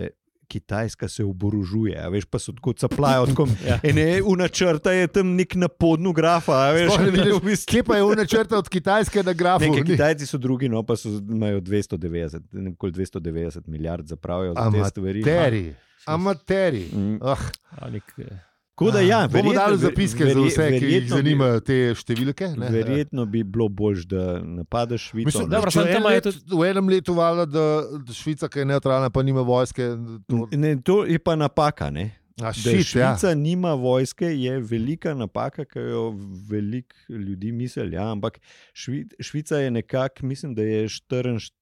S4: Kitajska se oborožuje, a veš, pa so tako caplajo. Tako,
S1: Ja.
S4: ene, v načrta je tam nek na podnu grafa, a veš,
S2: Sploh ne vidiš,
S4: v bistvu-
S2: Kje pa je unačrta od Kitajske na grafu?
S4: Nekaj
S2: Ni.
S4: Kitajci so drugi, no pa so, imajo dvesto devetdeset, ne vem, koliko dvesto devetdeset milijard zapravijo za te stvari.
S2: Amateri. Amateri.
S4: Mm.
S2: Ah,
S1: Ali k-
S4: Tako da, ja,
S2: bomo
S4: verjetno-
S2: dali zapiske za
S4: verje-
S2: vse, ki jih
S4: verjetno bi-
S2: zanimajo te številke. Ne?
S4: Verjetno bi bilo bolj, da napadeš Švico.
S2: Mislim,
S4: ne.
S1: Dobro,
S2: če
S1: samo
S2: en
S1: tam imajo
S2: let, v enem letu valjda, da, da Švica, ki je neutralna, pa nima vojske. To,
S4: Ne, to je pa napaka. Ne?
S2: a,
S4: Da
S2: shit,
S4: Švica
S2: ja.
S4: nima vojske, je velika napaka, ki jo veliko ljudi misli. Ja, ampak Švi, Švica je nekako, mislim, da je štiriinštirideset,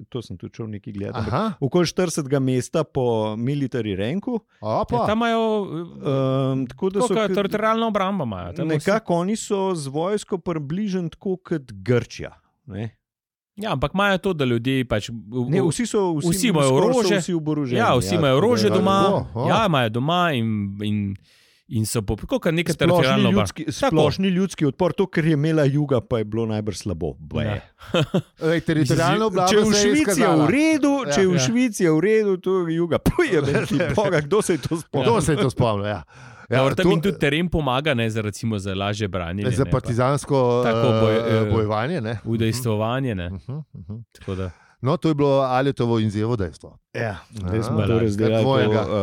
S4: to sem tudi šel nekaj gledati.
S2: Aha,
S4: Okoli štiridesetega mesta po military ranku.
S2: a
S1: Ja,
S2: pa.
S1: tam imajo
S4: Um, tako da so
S1: uh,
S4: k-
S1: teritorijalno obrambo. Imajo. Tam vsi-
S4: nekako oni so z vojsko približen tako kot Grčija. Ne?
S1: Ja, ampak imajo to, da ljudje pač. v-
S4: Ne,
S1: v-
S4: vsi so vsi,
S1: vsi imajo
S4: skoraj so
S1: orožje.
S4: Vsi oboroženi,
S1: Ja, vsi imajo
S4: tako da-
S1: orožje doma,
S2: tako, a.
S1: ja, imajo doma in, in, in so po kot neka
S4: Splošni
S1: teritorijalna obramba.
S4: ljudski, splošni ljudski odpor, to, kar je imela juga, pa je bilo najbrž slabo.
S1: Ja.
S2: Ej, teritorijalna oblast
S4: Če je v Švici je v redu,
S2: Ja.
S4: če je v
S1: Ja.
S4: Švici je v redu, to je juga. Pojebe ti Boga, kdo se je to spomnil?
S2: Kdo se je to spomnil? Ja.
S1: Ja,
S2: Ja,
S1: tam
S2: to-
S1: jim tudi teren pomaga, ne, za, recimo, za lažje branje.
S2: Za partizansko
S1: Tako boj,
S2: eh,
S1: eh,
S2: bojevanje. Ne?
S1: Udejstvovanje. Ne,
S2: Mhm, mhm.
S1: tako da.
S2: No, to je bilo Aljetovo in Zjevo dejstvo.
S4: Ja,
S2: A,
S4: zdaj smo to
S1: kak
S4: razdelili,
S2: tvojega?
S4: to,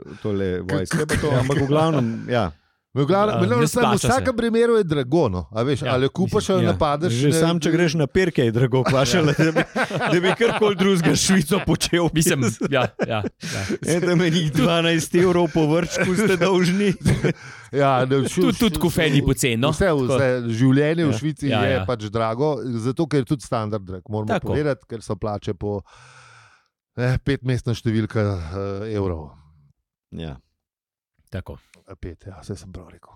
S4: uh, tole vojske, pa to, ampak v glavnem, ja.
S2: V glavnem,
S1: Ja,
S2: v glavnem,
S1: ne
S2: sam, v
S1: splača se.
S2: vsakem primeru je drago. No. A veš,
S1: Ja,
S2: ali jo kupaš ali
S4: Ja.
S2: napadeš.
S4: Že
S2: ne-
S4: sam, če greš na perke, je drago vprašala, da bi, da bi karkoli drugega s Švico počel.
S1: Mislim, ja, ja, ja.
S4: E, da meni dvanajst evrov po vrčku ste dolžni.
S2: Ja, ne, šu,
S1: Tudi, tudi kofeni poceni. No?
S2: Vse, vse življenje v
S1: Ja.
S2: Švici
S1: Ja,
S2: je
S1: ja.
S2: pač drago, zato ker je tudi standard drag. Moramo
S1: Tako.
S2: povedati, ker so plače po eh, petmestna številka eh, evrov.
S4: Ja.
S1: Tako.
S2: Eh, Pet, ja, vse sem prav rekel.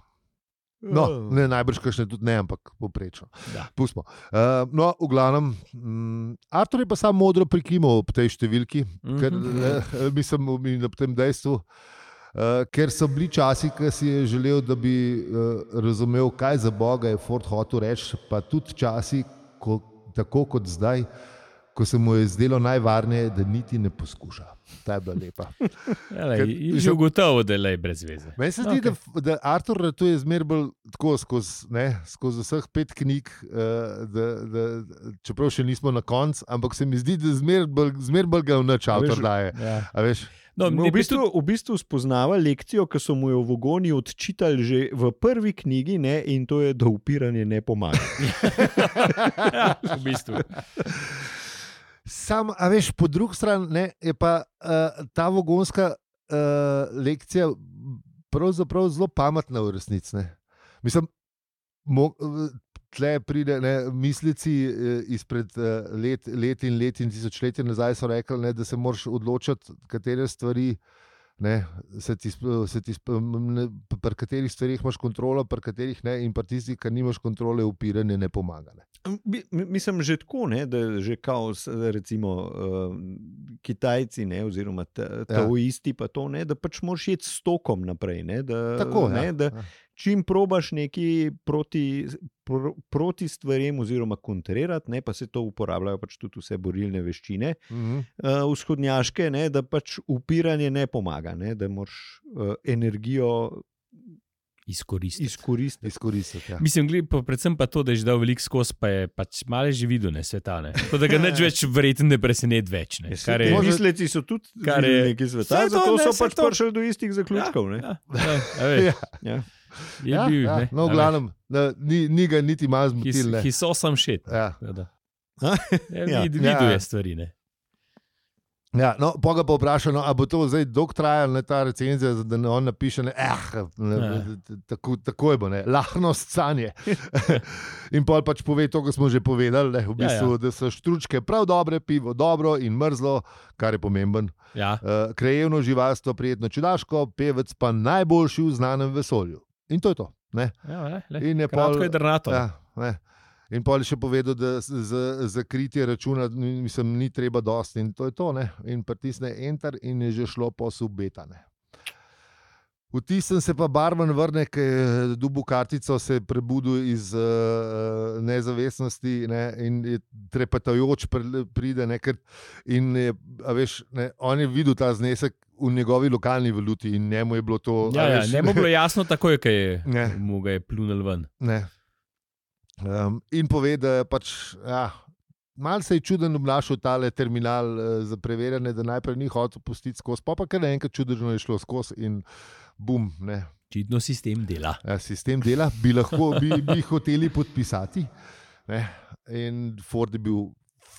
S2: No, ne, najbrž kakšne tudi ne, ampak poprečno. Pustimo. Uh, no, v glavnem, um, Artur je pa samo modro prikimal ob tej številki, mm-hmm. ker uh, mislim na tem dejstvu, uh, ker so bili časi, ki si je želel, da bi uh, razumel, kaj za Boga je Ford hotel reči, pa tudi časi, ko, tako kot zdaj, ko se mu je zdelo najvarneje, da niti ne poskuša. Ta je bila lepa.
S1: Že ugotovo, da je le brez veze.
S2: Meni se zdi, okay. da, da Artur ratuje zmer bolj tako skozi, ne, skozi vseh pet knjig, uh, da, da, čeprav še nismo na koncu, ampak se mi zdi, da zmer bolj, zmer bolj ga v nič Artur daje.
S1: Ja.
S2: A veš?
S4: No, v, bistvu, v bistvu spoznava lekcijo, ki so mu jo v Vogoni odčitali že v prvi knjigi, ne, in to je, da upiranje ne pomaga.
S1: Ja, v bistvu.
S2: Sam, a veš, po drugi strani ne, je pa uh, ta vogonska uh, lekcija pravzaprav zelo pametna v resnici. Ne. Mislim, mo, tle pride ne, mislici uh, izpred uh, let, let in let in tisočletja nazaj so rekli, ne, da se moraš odločiti, katere stvari ne, se ti, se ti, ne, pri katerih stvarih imaš kontrolo, pri katerih ne, in pri tistih, ki nimaš kontrole, upiranje ne pomaga. Ne.
S4: Mislim, že tako, ne, da že kao, recimo, uh, Kitajci, ne, oziroma taoisti, pa to, ne, da pač moraš iti s tokom naprej. Ne, da,
S2: tako,
S4: ne,
S2: ja.
S4: da čim probaš nekaj proti, pro, proti stvarem oziroma kontrirati, ne, pa se to uporabljajo pač tudi vse borilne veščine,
S2: Mhm.
S4: uh, vzhodnjaške, ne, da pač upiranje ne pomaga, ne, da moraš uh, energijo
S1: Izkoristiti.
S4: izkoristiti.
S2: Izkoristiti, ja.
S1: Mislim, gled, pa predvsem pa to, da je že dal veliko skozi, pa je pač malo že videl, ne, sveta, ne. To, da ga neč več verjetno ne preseneti več, ne. Kar je,
S4: Misleci so tudi
S1: kar je-
S4: videli nekaj sveta,
S1: Saj to,
S4: zato
S1: ne,
S4: so
S1: saj
S4: pač
S1: to.
S4: prišli do istih zaključkov. Ne?
S1: ja, ja, a veš,
S2: Ja.
S4: Ja.
S1: je
S2: Ja,
S1: bil,
S2: ja.
S1: ne.
S2: No,
S1: a
S2: v
S1: veš.
S2: glavnem, ne, ni, ni ga niti malo
S1: He's,
S2: zmotil. ne.
S1: he's awesome shit.
S2: Ja.
S1: Da.
S4: Ja.
S1: Ja,
S4: Ja.
S1: vid, videl
S2: Ja.
S1: je stvari, ne.
S2: Ja, no, pa ga pa vprašal, no, a bo to zdaj dolgo trajalo, ne, ta recenzija, da ne on napiše, ne, eh, ne,
S1: Ja.
S2: tako, tako je bo, ne, lahnost sanje. In pol pač pove to, kar smo že povedali, ne, v
S1: Ja,
S2: bistvu,
S1: ja.
S2: da so štručke prav dobre, pivo dobro in mrzlo, kar je pomemben.
S1: Ja.
S2: Uh, krajevno živalstvo, prijetno čudaško, pevec pa najboljši v znanem vesolju. In to je to. Ne.
S1: Ja, le, le.
S2: In je
S1: Kratko
S2: pol-
S1: je drnato.
S2: Ja, ne. In pol je še povedal, da z- za, za kritje računa mislim, ni treba dosti in to je to. Ne? In pritisne enter in je že šlo po subetane. Vtisnem se pa barvan vrne, ki je dobil kartico, se je prebudil iz uh, nezavestnosti, ne? In je trepetajoč pri- pride. Ne? Ker, in je, a veš, ne? On je videl ta znesek v njegovi lokalni valuti in njemu je bilo to. a
S1: Ja, ja,
S2: veš,
S1: ne bo bilo jasno takoj, ko je
S2: Ne.
S1: mu ga je plunil ven.
S2: Ne. Um, in pove, da je pač, ja, malo se je čuden obnašal tale terminal uh, za preverjanje, da najprej ni hotel pustiti skozi, pa pa kar naenkrat čudežno je šlo skozi in bum. Ne.
S1: Čitno sistem dela.
S2: Ja, sistem dela, bi lahko bi, bi hoteli podpisati. Ne. In Ford je bil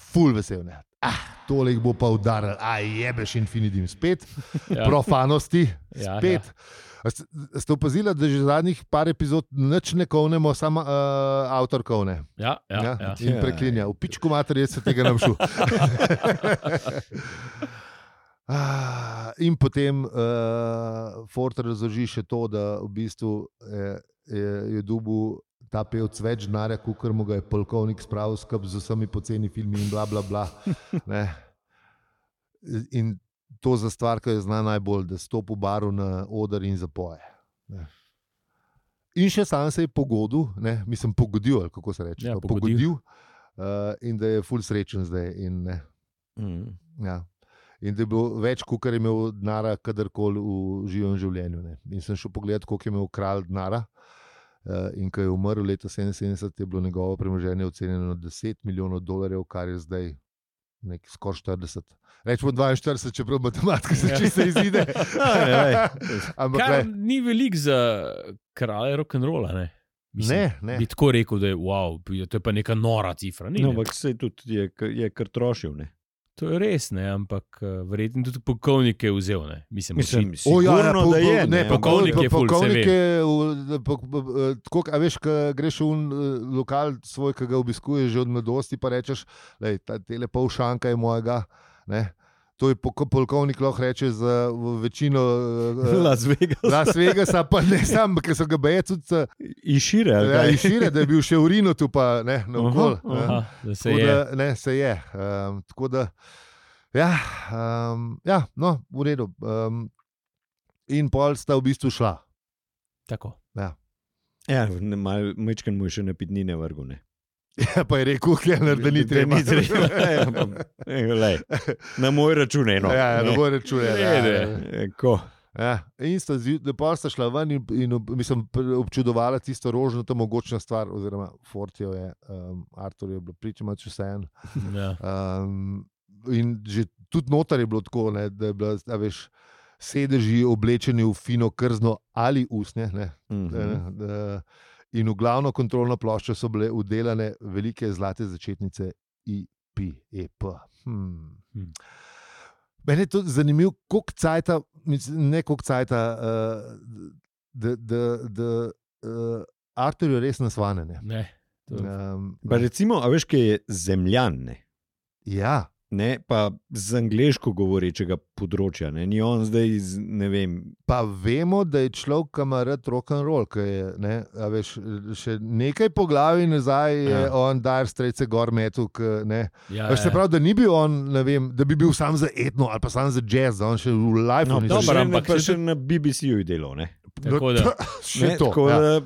S2: ful vesel. Ne. Ah, tole jih bo pa udaril, a jebeš Infinitim spet,
S1: Ja.
S2: profanosti
S1: Ja,
S2: spet. A Ste, ste opazili, da že zadnjih par epizod nič ne kovnemo, samo uh, avtor kovne.
S1: Ja, ja, ja.
S2: In preklinja. V pičku mater, jaz se tega ne šel. Ah, in potem uh, Ford razloži še to, da v bistvu je, je, je dobil ta pevc več denarja, kot mu ga je polkovnik spravil skupaj z vsemi poceni filmi in bla bla bla. Ne. In to za stvar, ki jo zna najbolj, da stopi v baru na oder in zapoje. Ne. In še sam se je pogodil, ne, mislim, pogodil, ali kako se reče.
S1: Ja,
S2: to,
S1: pogodil.
S2: pogodil uh, in da je ful srečen zdaj. In, ne,
S4: Mm.
S2: ja. In da je bilo več, kot je imel denara, kadarkoli v živem življenju. Ne. In sem šel pogledat, koliko je imel kralj denara. Uh, in ko je umrl leta sedeminsedemdeset, je bilo njegovo premoženje ocenjeno na deset milijonov dolarjev, kar je zdaj skoraj štirideset. Rečemo dvainštirideset, čeprav matematika se
S1: Ja.
S2: čisto izide. Ampak
S1: Kar
S2: le,
S1: ni velik za kralje rock'n'rolla, ne? Mislim,
S2: ne, ne.
S1: bi tako rekel, da je wow, to je pa neka nora cifra. Ni,
S4: No,
S1: ne.
S4: ampak se tudi je, k- je kar trošil. Ne?
S1: To je res, ne, ampak uh, verjetno tudi polkovnik je vzel. Ne. Mislim,
S4: Mislim,
S1: oči-
S2: O, ja, ja,
S4: sigurno,
S2: po-
S4: da je.
S2: po- ne,
S4: ne,
S1: polkovnik
S2: po-
S1: je ful, se
S2: polkovnik
S1: ve.
S2: je v- po- po- eh, tako, a veš, ko greš v un, eh, lokal svoj, ki ga obiskuješ že od mladosti, pa rečeš, da te pol šanka je mojega. Ne? to je pol- polkovnik lahko reče za večino uh,
S4: Las Vegas.
S2: Las Vegasa, pa ne sam, ker so ga beje tudi
S4: Išire, ali
S2: ja,
S4: kaj?
S2: išire, da je bil še v Rinu tu pa ne, naokol.
S4: Aha,
S1: Aha, da se
S2: Tako
S1: je.
S2: da, ne, se je. Um, tako da, ja, um, ja, no, v redu. Um, in pol sta v bistvu šla.
S1: Tako.
S2: Ja.
S4: Ja, mečken mu je še napitnine vrgu, ne.
S2: Ja, pa je rekel, Kellner, da ni treba.
S4: Ni treba. Ja, pa, lej, na moj račun eno.
S2: Ja, ja, ne bo rečuje. Ja, ja.
S4: E, Ko?
S2: Ja, in sta, lepo sta šla ven in, in mislim, občudovala tisto rožnato mogočna stvar, oziroma Fortijo je, um, Artur je bilo pričema, če vse en.
S1: Ja.
S2: Um, in že tudi notar je bilo tako, ne, da je bila, a veš, sedeži oblečeni v fino krzno ali usnje, ne,
S4: Mhm.
S2: da, in v glavno kontrolno ploščo so bile udelane velike zlate začetnice I P E P. Hmm.
S1: Hmm.
S2: Meni je to zanimivo, koliko cajta, mislim, ne koliko cajta, uh, da, da, da uh, Artur je res nasvane. Ne.
S1: Ne. To,
S2: Um,
S4: Pa recimo, a veš, kaj je zemljan, ne?
S2: ja,
S4: Ne, pa z angleško govorečega področja, ne, ni on zdaj iz, ne vem,
S2: pa vemo, da je človek, ki ima rad rock and roll, ki je, ne, a veš, še nekaj po glavi nazaj je
S4: Ja.
S2: on Dire Straits gor metu, ne.
S1: ja,
S2: Veš, se
S1: ja.
S2: pravi, da ni bil on, ne vem, da bi bil sam za etno ali pa sam za jazz, da on še v live
S4: no,
S2: ni
S4: pa
S1: dobro,
S4: še,
S1: ampak
S4: pa
S1: še
S4: še na B B C-ju je delal, ne.
S1: Tako da.
S2: še
S4: Ne,
S2: to.
S4: tako
S2: Ja.
S4: da,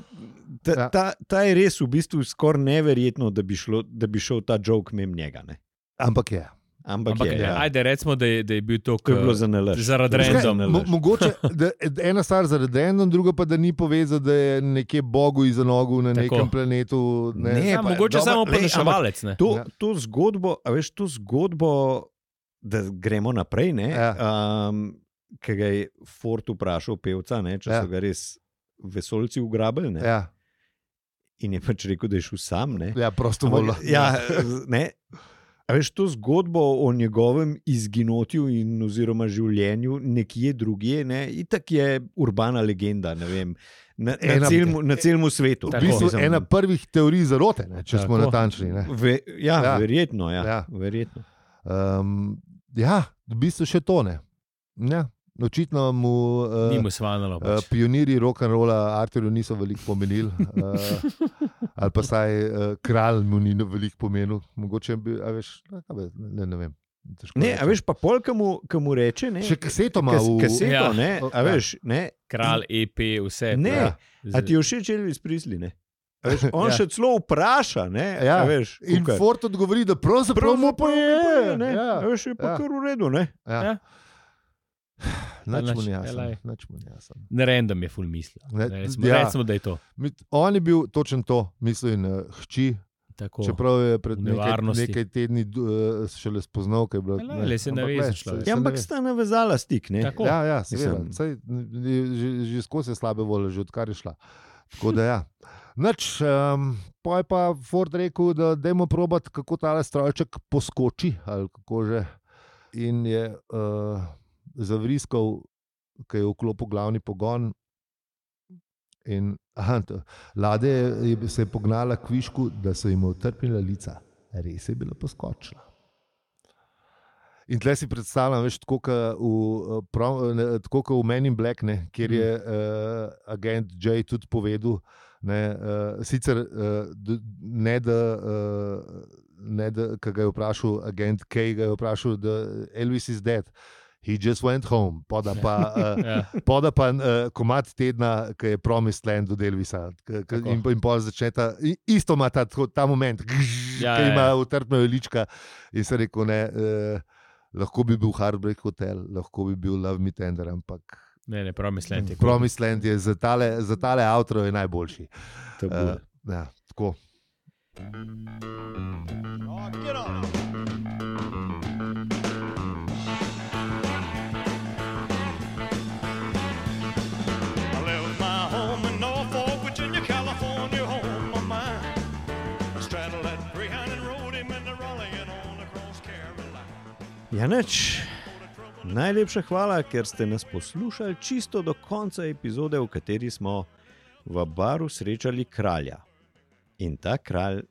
S4: ta,
S2: Ja.
S4: ta, ta je res v bistvu skoraj neverjetno, da bi, šlo, da bi šel ta joke mimo njega, ne.
S2: Ampak je.
S4: Ampak,
S1: Ampak
S4: je,
S1: ja.
S4: ja.
S1: Ajde, recimo, da je, da je bil to,
S4: To je bilo za nalaž.
S1: zaradi
S2: Veš kaj,
S1: random.
S2: mo mogoče, da, ena stvar zaradi random, druga pa, da ni povezal, da je nekje Bogu iza nogu na
S1: Tako.
S2: nekem planetu. Ne.
S4: Ne,
S1: Ja,
S4: pa,
S1: mogoče
S4: dobro,
S1: samo
S4: lej,
S1: poneševalec. ne.
S4: To,
S2: Ja.
S4: to zgodbo, a veš, to zgodbo, da gremo naprej, ne,
S2: Ja.
S4: um, ki ga je Ford vprašal pevca, ne, če
S2: Ja.
S4: so ga res vesolci ugrabili, ne,
S2: Ja,
S4: in je pač rekel, da je šel sam, ne.
S2: ja, prostovoljno.
S4: Ampak, ja, ne. A veš, to zgodbo o njegovem izginotju in oziroma življenju nekje drugje, ne, itak je urbana legenda, ne vem, na, na,
S2: Ena-
S4: celmu, na celmu svetu.
S2: V bistvu
S4: Mislim,
S2: ena prvih teorij zarote, ne, če smo
S1: Tako.
S2: natančni. Ne.
S4: Ve, ja,
S2: Ja.
S4: ja, verjetno, ja,
S2: Ja.
S4: ja. verjetno.
S2: Um, ja, v bistvu še to ne. Ja, očitno mu uh,
S1: Ni mu svanalo.
S2: uh,
S1: Pač.
S2: pionirji rock'n'rolla Arturju niso veliko pomenili, uh, ali pa saj uh, kralj mu ni veliko pomenil. Mogoče bi, a veš, ne, kaj be, ne, ne vem. Težko
S4: Ne, a
S2: rečem.
S4: veš, pa pol, ki mu, ki mu reče, ne.
S2: Še kaseto ima
S4: Kas,
S2: v
S4: kaseto,
S1: Ja.
S4: ne, a
S2: Ja.
S4: veš, ne.
S1: Kralj, E P, vse.
S4: Ne,
S1: prav.
S4: A ti je všeč Elvis Presley, ne? A veš, on
S2: Ja.
S4: ja. še celo vpraša, ne,
S2: Ja.
S4: a veš,
S2: In
S4: kukaj.
S2: Ford odgovori, da pravzaprav mu pa je.
S4: ne,
S2: Ja.
S4: a veš, je pa
S2: Ja.
S4: kar v redu, ne.
S2: Ja.
S1: Ja.
S2: Nič mu ni
S1: Naš-
S2: jasno.
S1: elaj.
S2: Nič mu ni jasno.
S1: Ne random je full mislil.
S2: Ne,
S1: Recimo,
S2: ja.
S1: recimo, da je to.
S2: Mit- On je bil točno to, mislim, na hči.
S1: Tako.
S2: Čeprav je pred
S1: v
S2: nekaj,
S1: nevarnosti.
S2: nekaj tedni uh, šele spoznal, kaj je bilo.
S1: Ja, le, se naveza
S2: glej,
S1: človek.
S2: se-
S4: Ja,
S2: se
S4: ampak
S2: nave-
S4: sta navezala stik, ne.
S1: Tako.
S2: Ja, ja, seveda.
S4: Mislim-
S2: Saj, že, že skozi je slabe volje, že odkar je šla. Tako da ja. Nič, um, pa je pa Ford rekel, da dajmo probati, kako ta strojček poskoči, ali kako že. In je uh, zavriskal, ki je vklopil glavni pogon. In aha, to, ladja je, je se je pognala k višku, da so jim utrpnila lica. Res je bila poskočila. In tle si predstavljam, veš, tako kot v, prav- ne, tako kot v Men in Black, ne, kjer je uh, agent Jay tudi povedal, ne, uh, sicer uh, d- ne da, uh, ne da, ki ga je vprašal agent K, ga je vprašal, da Elvis is dead. He just went home, poda pa, uh,
S1: Ja.
S2: poda pa uh, komad tedna, ki je Promised Land od Elvisa. K, k,
S1: Tako.
S2: in, in pol začne ta, i- isto ima ta, tako- ta moment, gžž,
S1: Ja,
S2: ki
S1: ja,
S2: ima
S1: ja.
S2: utrpna lička. In se rekel, ne, uh, lahko bi bil Heartbreak Hotel, lahko bi bil Love Me Tender, ampak
S1: Ne, ne, prav mislim.
S2: Promised Land je za tale, za tale outro je najboljši.
S4: To
S2: Uh,
S4: bo.
S2: ja, tako.
S3: I left my home in Norfolk, Virginia, California, home of mine. I straddled that Greyhound and rode him in the Raleigh and on across Carolina.
S4: Ja, nič. Najlepša hvala, ker ste nas poslušali čisto do konca epizode, v kateri smo v baru srečali kralja. In ta kralj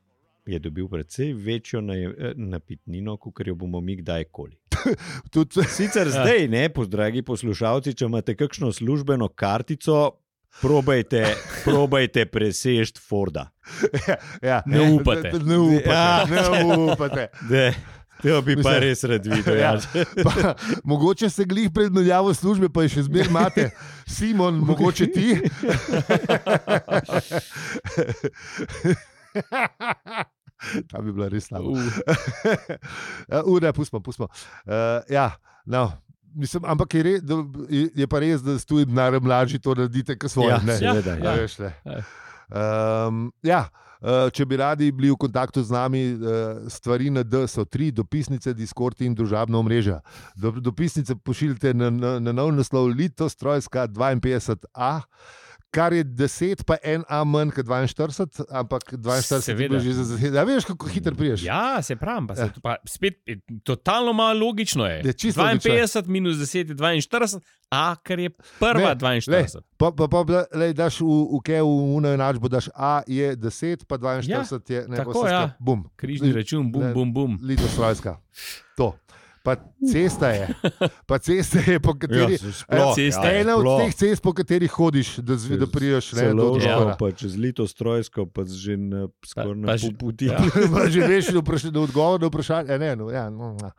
S4: je dobil precej večjo naj- eh, napitnino, kot jo bomo mi kdajkoli.
S2: tudi,
S4: Sicer zdaj, ne, po dragi poslušalci, če imate kakšno službeno kartico, probajte, probajte presežti Forda.
S2: ja,
S1: Ne upate.
S2: Ne upate.
S4: Ja.
S2: Ne upate.
S4: De, to bi pa
S2: Mislim-
S4: res rad videl.
S2: Ja.
S4: Ja.
S2: Pa, mogoče se glih pred menjavo službe, pa je še zmeraj imate. Simon, mogoče ti. Ta bi bila res slaba.
S1: Uh,
S2: Ure, pustimo, pustimo. Uh, ja, no. Mislim, ampak je, re, da, je, je pa res, da ste tudi denar mlađi to naredite, kot svoje.
S4: Ja,
S2: ne?
S4: seveda,
S2: Ja,
S4: ja.
S2: veš, ne.
S1: Ja.
S2: Um, ja, uh, če bi radi bili v kontaktu z nami, uh, stvari na D so tri: dopisnice, Discord in družabna omrežja. Do, dopisnice pošiljite na, na, na nov naslov Litostrojska dvainpetdeset A, kar je deset, pa en A manj kot dvainštirideset, ampak dvainštirideset je
S1: Seveda.
S2: bilo že za zasedanje. Ja, veš, kako hitro priješ.
S1: ja, se pravi, pa,
S2: Ja.
S1: ja. pa spet je totalno malo logično je.
S2: Je čisto
S1: dvainpetdeset minus deset je dvainštirideset, a ker je prva
S2: Ne,
S1: dvainštirideset.
S2: Pa, pa, pa lej, daš v, v Keju, v uno enačbo, daš A je deset, pa dvainštirideset je ne,
S1: tako,
S2: pa vse
S1: ja.
S2: skupaj, bum.
S1: Križni račun, bum,
S2: Ne.
S1: bum, bum.
S2: Litostrojska. To. Pa cesta je, pa cesta je, po kateri.
S4: Ja, sploh,
S1: cesta
S2: Ja,
S1: je,
S2: ena od
S4: sploh.
S2: teh cest, po katerih hodiš, da, zvi, da priješ ne, do
S4: Celo
S2: Dvora.
S4: pa čez Litostrojsko, pa že na, skoraj
S1: Pa-
S4: na
S1: pa že-
S4: pol poti.
S1: ja.
S2: Pa že veš, da vpraš- da odgovor na vprašanje. eh, Ne, no, ja, no, no.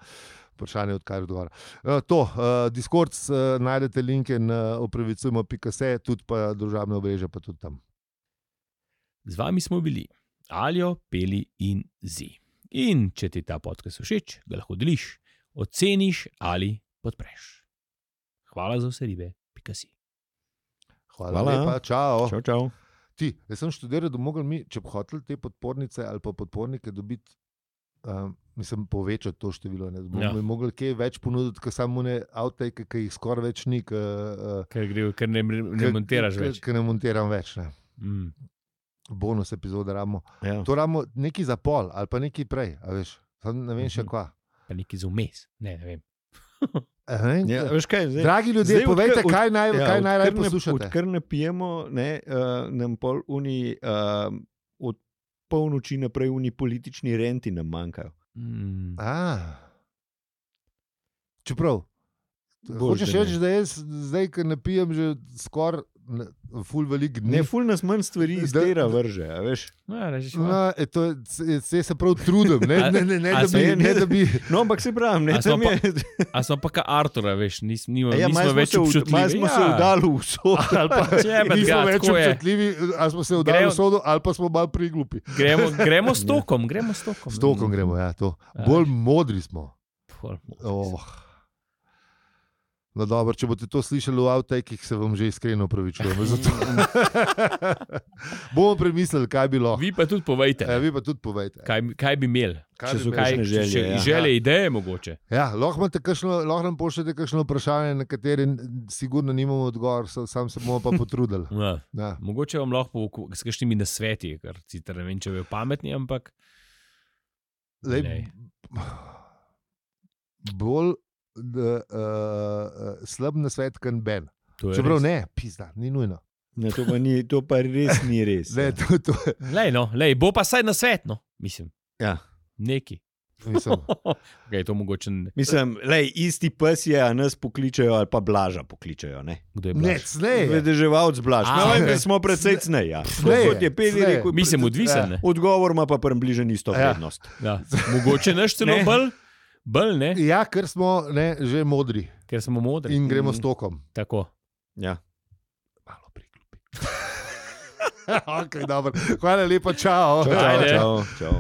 S2: Vprašanje odkar odgovora. Uh, to, uh, Discord, uh, najdete linke na opravicujmo pika se, tudi pa družabne obrežja, pa tudi tam.
S1: Z vami smo bili Aljo, Peli in Zi. In če ti ta podcast všeč, ga lahko deliš, oceniš ali podpreš. Hvala za vse ribe, pika si.
S2: Hvala,
S4: Hvala.
S2: Hvala. lepa, čau.
S4: Čau, čau.
S2: Ti, jaz sem študiral, da mogli mi, če bi hoteli te podpornice ali pa podpornike dobiti, um, mislim, povečati to število. Ne, da
S1: Ja.
S2: bomo mogli kaj več ponuditi, kot samo ne avtejke, ki jih skoraj več ni, ki uh,
S1: Ker, gre, ker ne, ne montiraš več.
S2: Ker ne montiram več. Ne.
S1: Mm.
S2: Bonus epizode ramo.
S4: Ja.
S2: To ramo neki za pol ali pa neki prej, a veš. Sam ne vem še
S1: Mhm.
S2: kva.
S1: Pa neki za vmes. Ne, ne vem.
S2: Eh, ne,
S4: Ja, veš kaj, zdaj,
S2: Dragi ljudje,
S4: zdaj
S2: povejte,
S4: odkar-
S2: kaj, naj,
S4: ja,
S2: kaj najraje
S4: odkar ne-
S2: poslušate.
S4: Odkar ne pijemo, ne, uh, nam pol uni, uh, od polnoči naprej uni politični renti nam manjkajo.
S1: Mm.
S2: A. Čeprav,
S4: Boljše
S2: hočeš
S4: ne.
S2: reči, da jaz zdaj, ko ne pijem že skoraj ne- ful velik dni.
S4: Ne, ful nas manj stvari iz
S2: Da-
S4: tera
S2: da-
S4: vrže, a veš.
S1: No, ja, reči,
S2: No, e, to, je- se, se, se prav trudim, ne,
S1: A-
S2: ne, ne, ne,
S1: a
S2: da
S1: se
S2: bi,
S1: je-
S2: ne da bi.
S4: No, ampak se pravim, ne,
S1: A smo
S4: tam je.
S1: A smo pa kot Artura, veš, nis, nima,
S4: Ja,
S1: nismo
S4: malo smo
S1: več
S4: se, v- malo
S1: občutljivi.
S4: smo se vdali v vso.
S2: Ali pa
S1: Čebet
S2: nismo
S1: ga,
S2: več
S1: tako je.
S2: občutljivi, ali smo se vdali
S1: Gremo-
S2: v sodo, ali pa smo malo priglupi.
S1: Gremo, gremo s tokom, gremo s tokom.
S2: S tokom gremo, ja, to.
S1: Ja.
S2: Bolj modri smo.
S1: Pol-
S2: Oh. No, dobro, če boste to slišali v avtajkih, se vam že iskreno opravičujem. za to. Bomo premislili, kaj bi bilo.
S1: Vi pa tudi povejte,
S2: E, vi pa tudi povejte.
S1: kaj, kaj bi imeli.
S2: Kaj
S4: če
S2: bi
S4: so
S2: imeli?
S4: kakšne želje,
S1: če,
S4: ja.
S1: želje, ideje mogoče.
S2: Ja, lahko, imate kakšno, lahko nam pošljete kakšno vprašanje, na katere sigurno nimamo odgovor, sa- sam se bomo pa potrudili.
S1: Ja.
S2: Ja.
S1: Mogoče vam lahko po- s kakšnimi nasveti, ker sicer ne vem, če bojo pametni, ampak
S2: Lej,
S1: Lej.
S2: bolj uh, uh, slab na svet, kot Ben.
S1: to je
S2: Čeprav
S1: res.
S2: ne, pizda, ni nujno.
S4: Ne, to, pa ni, to pa res ni res.
S2: Ne,
S4: ja.
S2: to, to,
S1: Lej, no, lej, bo pa saj na svet, no, mislim.
S4: Ja.
S1: Neki.
S2: mislim,
S1: Okay, to mogoče ne.
S4: Mislim, lej, isti pes je, a nas pokličejo ali pa blaža pokličejo. Ne?
S1: Kdo je
S2: ne,
S1: blaž?
S2: cnej.
S4: Vedeževalc blaž.
S1: A,
S4: No, vem,
S1: okej.
S4: da smo precej cnej. Ja.
S2: Cnej,
S4: Kot je Peli
S2: cnej.
S4: rekel,
S1: Mislim, odvisen. Ne?
S4: odgovor ima pa približno isto
S2: Ja.
S4: vrednost.
S1: Ja. Mogoče naš celo
S4: Ne.
S1: bolj, bolj ne,
S2: Ja, ker smo ne, že modri
S1: ker smo modri.
S2: in gremo
S4: Mm.
S2: s tokom.
S1: Tako.
S4: Ja.
S2: Malo priglupi. okay, dobro. Hvala lepa, čau.
S4: Čau, čau,
S1: Ajde.
S4: čau, čau.